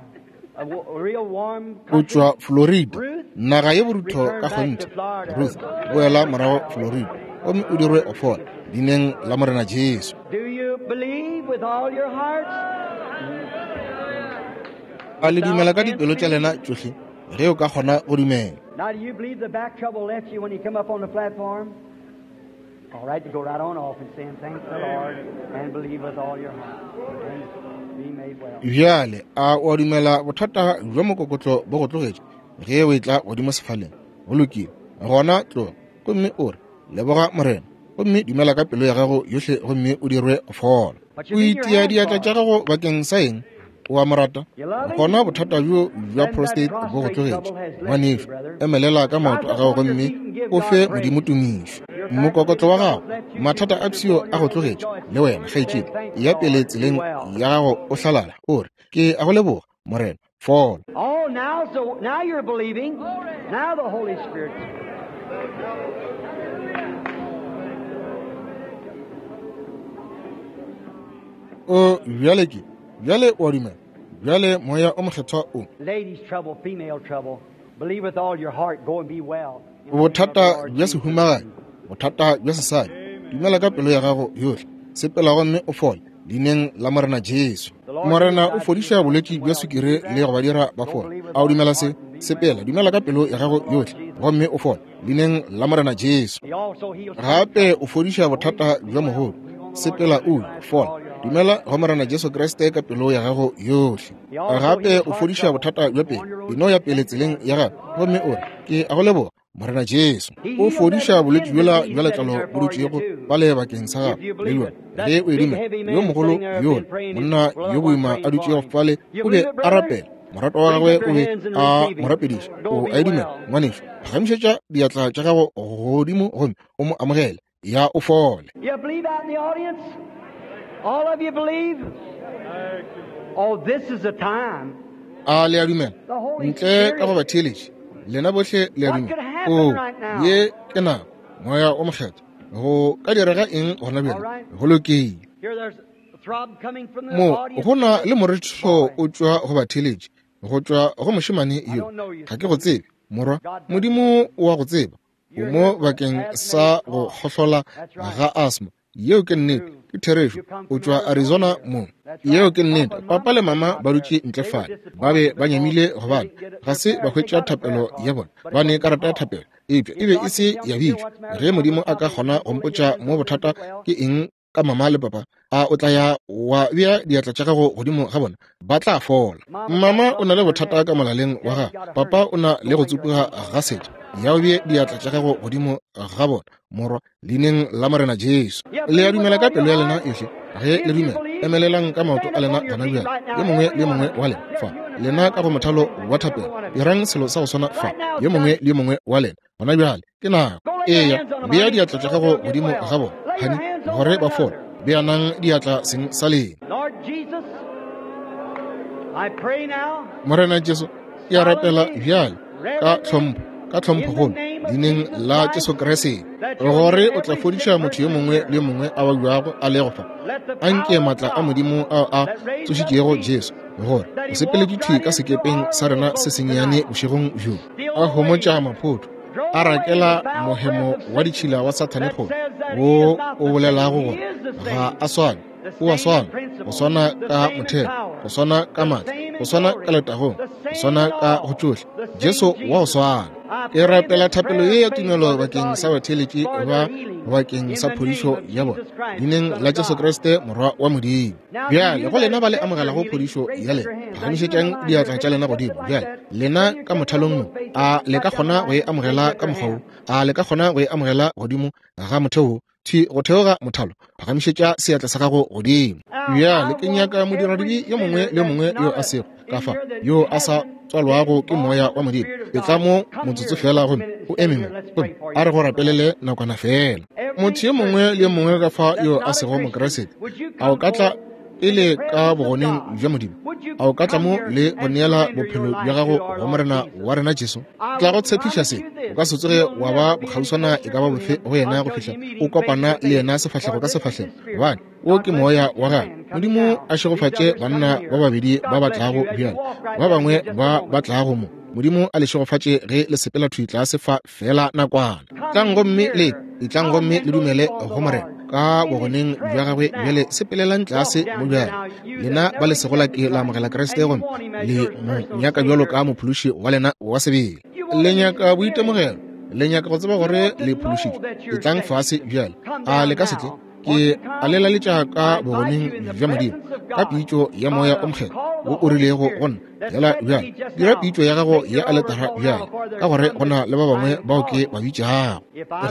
a w- real warm O country. tšwa Florida, naga ye borutho ka kgonthe. Ruth, boela morago Florida, gomme o dirwe go fola leineng la Morena Jesu. Do you believe with all your hearts? A le dumela ka dipelo tša lena tšohle ge o ka kgona go dumela. Now, do you believe the back trouble left you when you come up on the platform? All right, to go right on off and saying, thank the Lord, and believe with all your heart, and be made well. Bjale a o a dumela bothata bja mokokotlo bo go tlogetše ge o etla godimo sefaleng? Go lokile, gona tloga gomme o re, leboga Morena, gomme dumela ka pelo ya gago yohle gomme o dirwe go fola. O itia diatla tša gago bakeng sa eng? O a mo rata? Gona bothata bjo bja prostate bo go tlogetše, ngwanešu. Emelela ka maoto a gago gomme o fe Modimo tumišo. Mokokotlo wa gago, mathata a pshio a go tlogetše, le wena kgaetšedi, ya pele tseleng ya gago o hlalala, o re, ke a go leboga Morena, fola. Oh, now, so now you're believing. Now the Holy Spirit. O bjale ke, bjale o a dumela, bjale moya o mokgethwa o. Ladies' trouble, female trouble. Believe with all your heart. Go and be well. In the name of the Bothata Lord bja Jesus. sehumagadi, bothata bja sesadi, dumela ka pelo ya gago yohle, sepela gomme o fole leineng la Morena Jesu. Morena o fodiša bolwetši bja sukiri le go ba dira ba fole. A o dumela se? Sepela, dumela ka pelo ya gago yohle gomme o fole leineng la Morena Jesu. He also heals. Gape o fodiša bothata bja mogodu, sepela o fola, dumela go Morena Jesu Kriste ka pelo ya gago yohle. Gape o fodiša bothata bja pelo, eno ya pele tseleng ya gago gomme o re, ke a go leboga Morena Jesu. O fodiša bolwetši bjola bja letlalo bo dutšego bale bakeng sa gago le bjona ge o e dumela. Yo mogolo yola, monna yo boima a dutšego fale, o be a rapela, morato wa gagwe o be a mo rapediša. O a e dumela, ngwanešu? Phagamišetša diatla tša gago godimo gomme o mo amogele, ya o fole. You believe out in the audience? All of you believe? Oh, this is a time. A le a dumela? Ntle ka go ba theeletše, lena bohle le a dumela? O, ye ke nako, moya o mokgethwa. Go ka direga eng gona bjale? Go lokile. Here there's a throb coming from the Mo audience. go na le moretho o tšwa go batheeletši, go tšwa go mošemane yo. Ga ke go tsebe, morwa. Modimo o a go tseba. O mo bakeng sa go kgohlola ga asthma. Yeo ke nnete, ke therešo. O tšwa Arizona mo. Yeo ke nnete. Papa le mama ba dutše ntle fale, ba be ba nyamile gobane ga se ba hwetša thapelo ya bona. Ba ne karata ya thapelo, Eupša e be e se ya bitšwa. Ge Modimo a ka kgona go mpotša mo bothata ke eng ka mama le papa, a o tla ya wa bea diatla tša gago godimo ga bona, ba tla fola. Mama o na le bothata ka molaleng wa gagwe, papa o na le go tsupuga ga setša. Ya o bee diatla tša gago godimo ga bona, morwa, leineng la Morena Jesu. Le a dumela ka pelo ya lena yohle? Ge le dumela, emelelang ka maoto a lena gona bjale, yo mongwe le yo mongwe wa lena fa. Lena ka go mothalo wa thapelo, dirang selo sa go swana fa, yo mongwe le yo mongwe wa lena gona bjale. Ke nako. Eya, bea diatla tša gago godimo ga bona, honey, gore ba fole. Beanang diatla seng sa lena. Morena Jesu, ke a rapela bjale ka tlhompho, ka tlhomphogolo, leineng la Jesu Kriste, gore o tla fodiša motho yo mongwe le yo mongwe a babjago a lego fa. Anke maatla a Modimo ao a tsošitšego Jesu, gore o sepeletše thwi ka sekepeng sa rena se sennyane bošegong bjo, a homotša maphoto, a rakela mohemo wa ditšhila wa Sathane kgole, wo o bolelago gore ga a swane, o a swana, go swana ka motheo, go swana ka maatla, go swana ka letagong, go swana ka go tšohle. Jesu wa go swana. Ke rapela thapelo ye ya tumelo bakeng sa batheeletši ba, bakeng sa phodišo ya bona, leineng la Jesu Kriste, Morwa wa Modimo. Bjale go lena ba le amogelago phodišo ya lena, phagamišetšang diatla tša lena godimo. Bjale lena ka mothalong mo, a le ka kgona go e amogela ka mokgwa wo? A le ka kgona go e amogela godimo ga motheo wo? Thwi go theoga mothalo, phagamišetša seatla sa gago godimo. Bjale ke nyaka modiradibe yo mongwe le yo mongwe yo a sego ka fa, yo a sa tswalwago ke moya wa Modimo, etla mo motsotso fela gomme o eme mo, gomme a re go rapelele nakwana fela. Motho yo mongwe le yo mongwe ka fa yo a sego Mokriste, a o ka tla pele ka bogoneng bja Modimo? A o ka tla mo le go neela bophelo bja gago go Morena wa rena Jesu? Tla go tshepiša se, o ka se tsoge wa ba bokgauswana e ka ba bofe go yena go fihla o kopana le yena sefahlego ka sefahlego, gobane wo ke moya wa gagwe. Modimo a šegofatše banna ba babedi ba ba tlago bjale, ba bangwe ba ba tlago mo. Modimo a le šegofatše ge le sepela thwi tlase fa fela nakwana. Tlang gomme le etlang gomme le dumele go Morena ka bogoneng bja gagwe. Bjale sepelelang tlase mo bjale, lena ba le sego la ke la amogela Kriste gomme le mo nyaka bjalo ka mophološi wa lena wa sebele. Le nyaka boitemogelo, le nyaka go tseba gore le phološitšwe. Etlang fase bjale. A le ka se tle? Ke a le laletša ka bogoneng bja Modimo, ka pitšo ya Moya o Mokgethwa wo o rilego go nna. Yela bjale, dira pitšo ya gago ya aletara bjale, ka gore go na le ba bangwe bao ke ba bitšago.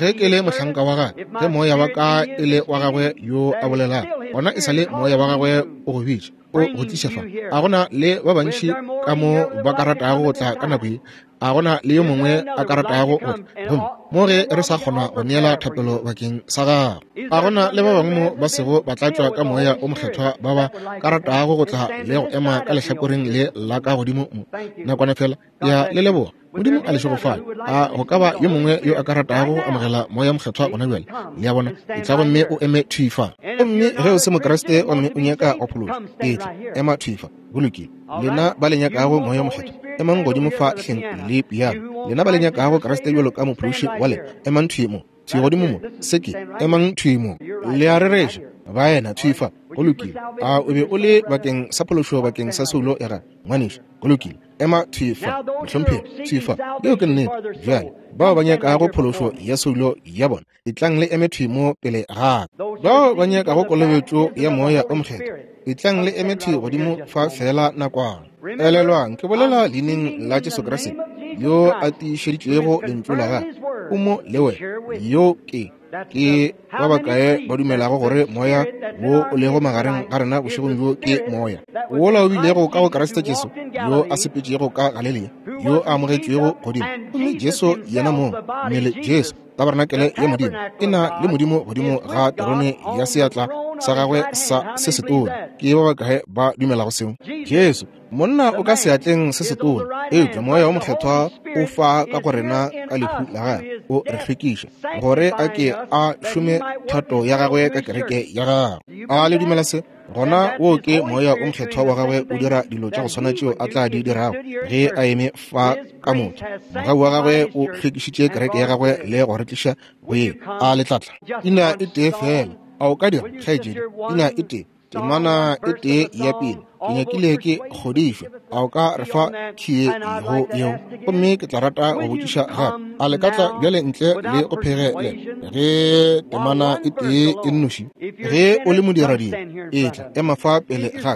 Ge ke le mohlanka wa gagwe, ge moya wa ka e le wa gagwe yo a bolelago, gona e sa le moya wa gagwe o go bitša, o go tliša fa. A gona le ba bantši ka mo ba ka ratago go tla ka nako ye? A gona le yo mongwe a ka ratago go tla? Gomme mo ge re sa kgona go neela thapelo bakeng sa gago, a gona le ba bangwe mo ba sego ba tlatšwa ka moya o mokgethwa ba ba ka ratago go tla le go ema ka lehlakoreng le la ka godimo mo nakwana fela? Ya le leboga. Modimo a le šegofale. A go ka ba yo mongwe yo a ka ratago go amogela moya mokgethwa gona bjale? Le a bona, etla gomme o eme thwi fa. Gomme ge o se Mokriste gomme o nyaka go phološwa, etla ema thwi fa. Go lokile. Lena ba le nyakago moya mokgethwa, emang godimo fa hleng le piano. Lena ba le nyakago Kriste bjalo ka mophološi wa lena, emang thwi mo, thwi godimo mo. Se ke, emang thwi mo. Le a rereša, baena, thwi fa. Go lokile. A o be o le bakeng sa phološo bakeng sa soulo ya gago, ngwanešu? Go lokile. Ema thwi fa, mohlomphegi, thwi fa. Yeo ke nnete. Bjale bao ba nyakago phološo ya soulo ya bona, etlang le eme thwi mo pele ga ka. Bao ba nyakago kolobetšo ya moya o mokgethwa, etlang le eme thwi godimo fa fela nakwana. Elelwang, ke bolela leineng la Jesu Kriste, yo a tiišeditšego lentšu la gagwe. O mo le wena. Yo ke ke ba bakae ba dumelago gore moya wo o lego magareng ga rena bošegong bjo ke moya wola o bilego ka go Kriste Jesu, yo a sepetšego ka Galilea, yo a amogetšwego godimo? Gomme Jesu yena mong, mmele Jesu, tabernakelé ya Modimo, e na le Modimo godimo ga terone ya seatla sa gagwe sa se setona. Ke ba bakae ba dumelago seo? Jesu, monna o ka seatleng se setona, eupša moya o mokgethwa o fa ka go rena ka lehu la gagwe, o re hlwekiša gore a ke a šome thato ya gagwe ka kereke ya gagwe. A le dumela se? Gona wo ke moya o mokgethwa wa gagwe o dira dilo tša go swana tšeo a tla di dirago ge a eme fa ka motho. Mogau wa gagwe o hlwekišitše kereke ya gagwe le go re tliša go ye. A le tlatla ina e tee fela? A o ka dira, kgaetšedi? Ina e tee. Temana e tee ya pele, ke nyakile ke kgodišwa. A o ka re fa khie go yeo? Gomme ke tla rata go botšiša gape, a le ka tla bjale ntle le go phegelela ge temana e tee e nnoši? Ge o le modiradibe, etla ema fa pele ga ka.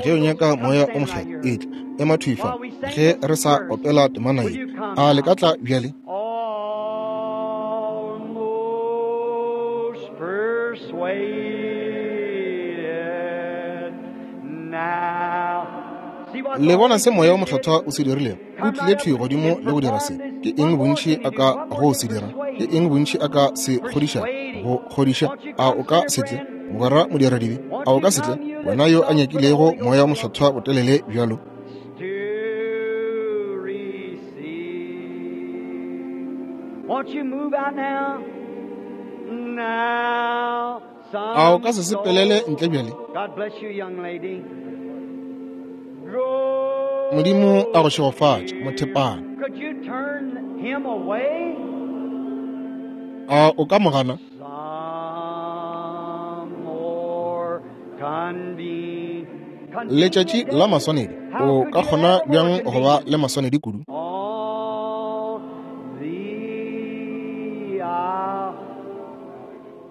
Ge o nyaka Moya o Mokgethwa, etla ema thwi fa. Ge re sa opela temana ye, a le ka tla bjale? Almost persuaded now. Le bona se Moya o Mokgethwa o se dirilego? O tlile thwi godimo le go dira se. Ke eng bontši a ka go se dira? Ke eng bontši a ka se kgodiša? Go kgodiša? A o ka se tle, mogwera modiradibe? A o ka se tle, wena yo a nyakilego Moya o Mokgethwa botelele bjalo? To receive. Won't you move out now? Now. A o ka se sepelele ntle bjale? God bless you, young lady. Go. Modimo a go šegofatše, mothepana. Could you turn him away? A o ka mo gana? Some more conven- Letšatši la maswanedi, o ka kgona bjang go ba le maswanedi kudu? All the hour.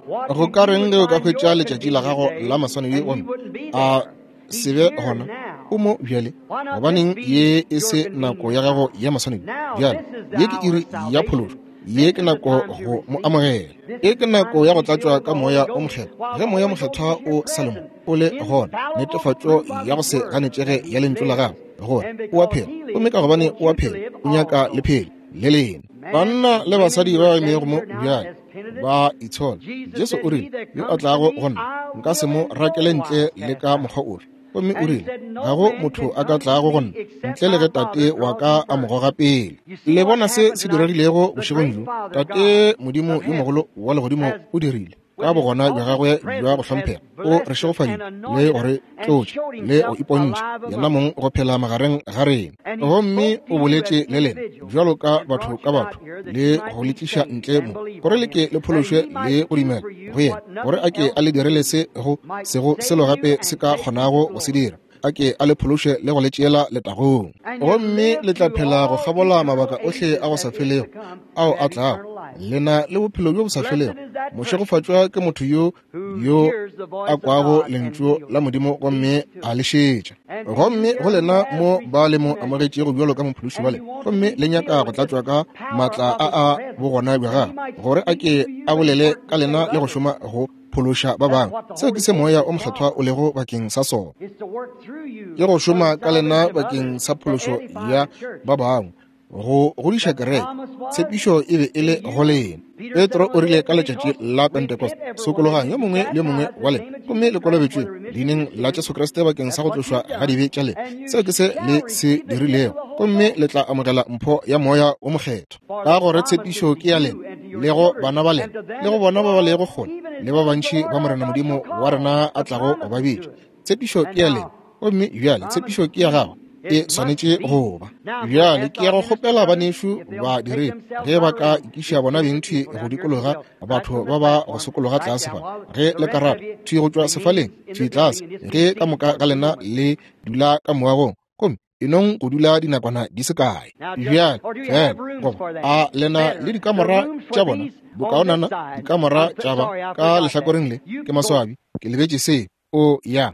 What Go if ka you reng would ge o ka find hwetša your letšatši la gago convenient la day maswanedi and he gomme wouldn't be a there? He's se be here gona? now. O mo bjale. Why not Gobaneng this be ye e your se nako ya convenient gago time? ya maswanedi? Now Bjale this is the ye ke hour iri of ya salvation. phološo. Ye This ke is the nako time to go mo receive. amogela. This Ye is ke the time nako to ya go be filled tlatšwa with ka the Holy Moya o Ghost Mokgethwa. while Ge the Moya Holy Ghost Mokgethwa is here o sa le mo, present, o le gona, infallible netefatšo proof of ya go His se word ganetšege that ya He lentšu la lives. gagwe gore And o a because phela. He Gomme lives, ka He gobane wants o a you to phela, live o nyaka also. le phele le lena. Men Banna and le women basadi who ba are emego standing mo here now bjale as penitents, ba itshola. Jesus Jesu said, o He rile, that yo a comes to tlago me, go nna, I nka se will mo in no rakele ntle wise le cast ka out. mokgwa ofe. Gomme o And he rile, said, ga No go man motho can a ka come to tlago go me nna except ntle le my ge Tate Father wa draws ka him a mo first. goga pele. You see Le what bona se happened se tonight? diregilego The bošegong great bjo? Father Tate God Modimo of yo heaven mogolo wa legodimo has, o dirile ka with his bogona bja awesome gagwe bja go presence, has hlomphega, o re blessed us and šegofaditše le anointed go us re and tlotša showed le go himself ipontšha alive yena among us. mong go phela magareng ga rena. And he Gomme spoke to o you as boletše le lena individuals bjalo ka and batho brought ka you batho out here that le you might go be le tliša saved ntle and mo believe gore on le him, ke le that phološwe he le might go do dumela for you go yena, what gore nothing a ke else a le direle se go might sego save selo you gape se and ka take you to kgonago go se glory. dira, a ke a le phološe le go le tšeela letagong. And you Gomme live le tla through phela go all kgabola eternal mabaka ohle ages a go sa that is to felego come ao to a have tlago, eternal life. lena le bophelo bjo bo sa Blessed felego. is that person Mošegofatšwa ke motho yo who yo hears the a voice of kwago God and lentšu feels la it, Modimo gomme heeds to a it. le šetša. And to you Gomme here go who lena has mo ba le received mo him as your amogetšego bjalo ka mophološi and wa you lena, want to gomme be le nyaka filled go with this tlatšwa ka power maatla of a his a presence, bogona bja that he gagwe, might gore a speak ke to you a and bolele work ka to lena save le go others. šoma go phološa ba That's bangwe. what the Seo ke Holy se Ghost Moya is o Mokgethwa for. o lego bakeng sa sona, Is to work through you ke go for the šoma ka lena salvation of bakeng others, sa to phološo edify ya the church. ba bangwe, go godiša The kereke. promise was Tshepišo e be e to le go you. lena. Peter said Petro on o the day rile of ka letšatši Pentecost, la Repent, Pentecost, every one of sokologang you, yo be mongwe le yo mongwe baptized wa in the lena, name of gomme Jesus le Christ for kolobetšwe the remission of leineng your la sins. Jesu Kriste bakeng sa That's go what tlošwa you've ga done. dibe tša lena. And you Seo ke se shall le se receive the gift of dirilego, the Holy gomme Ghost. le tla amogela mpho ya Moya o Mokgethwa. For Ka the gore promise is tshepišo to ke ya you lena and to your le go children bana ba and lena to them le go that bona ba ba fall, lego kgole even as le ba many as the bantši Lord ba our Morena God Modimo shall wa call. rena a The tlago go promise ba is bitša. to it. Tshepišo And ke ya lena, now, gomme bjale promise tshepišo is ke ya to gago, you. e It must swanetše be. go ba. Now, I'm going to Bjale ask ke ya our go minister kgopela brothers banešu if they'll ba take diredi themselves ge ba out of ka the room. ikiša There's bona two beng hundred thwi people go down here at the dikologa well, right batho from ba the ba go platform, sokologa right tlase down. fa. While Ge the le ka rest of rata you thwi go tšwa sefaleng remains in thwi the tlase, building and just be ge ka seated moka for a ga few lena moments. le dula ka moagong, gomme e nong go dula dinakwana di se kae. Now, just, Bjale or do you fela have rooms goba for that? a lena le Better. The dikamora rooms tša for bona these on this bokaonana side. dikamora I'm tša ba sorry, I ka forgot that. lehlakoreng le You ke go maswabi ke lebetše se o ya.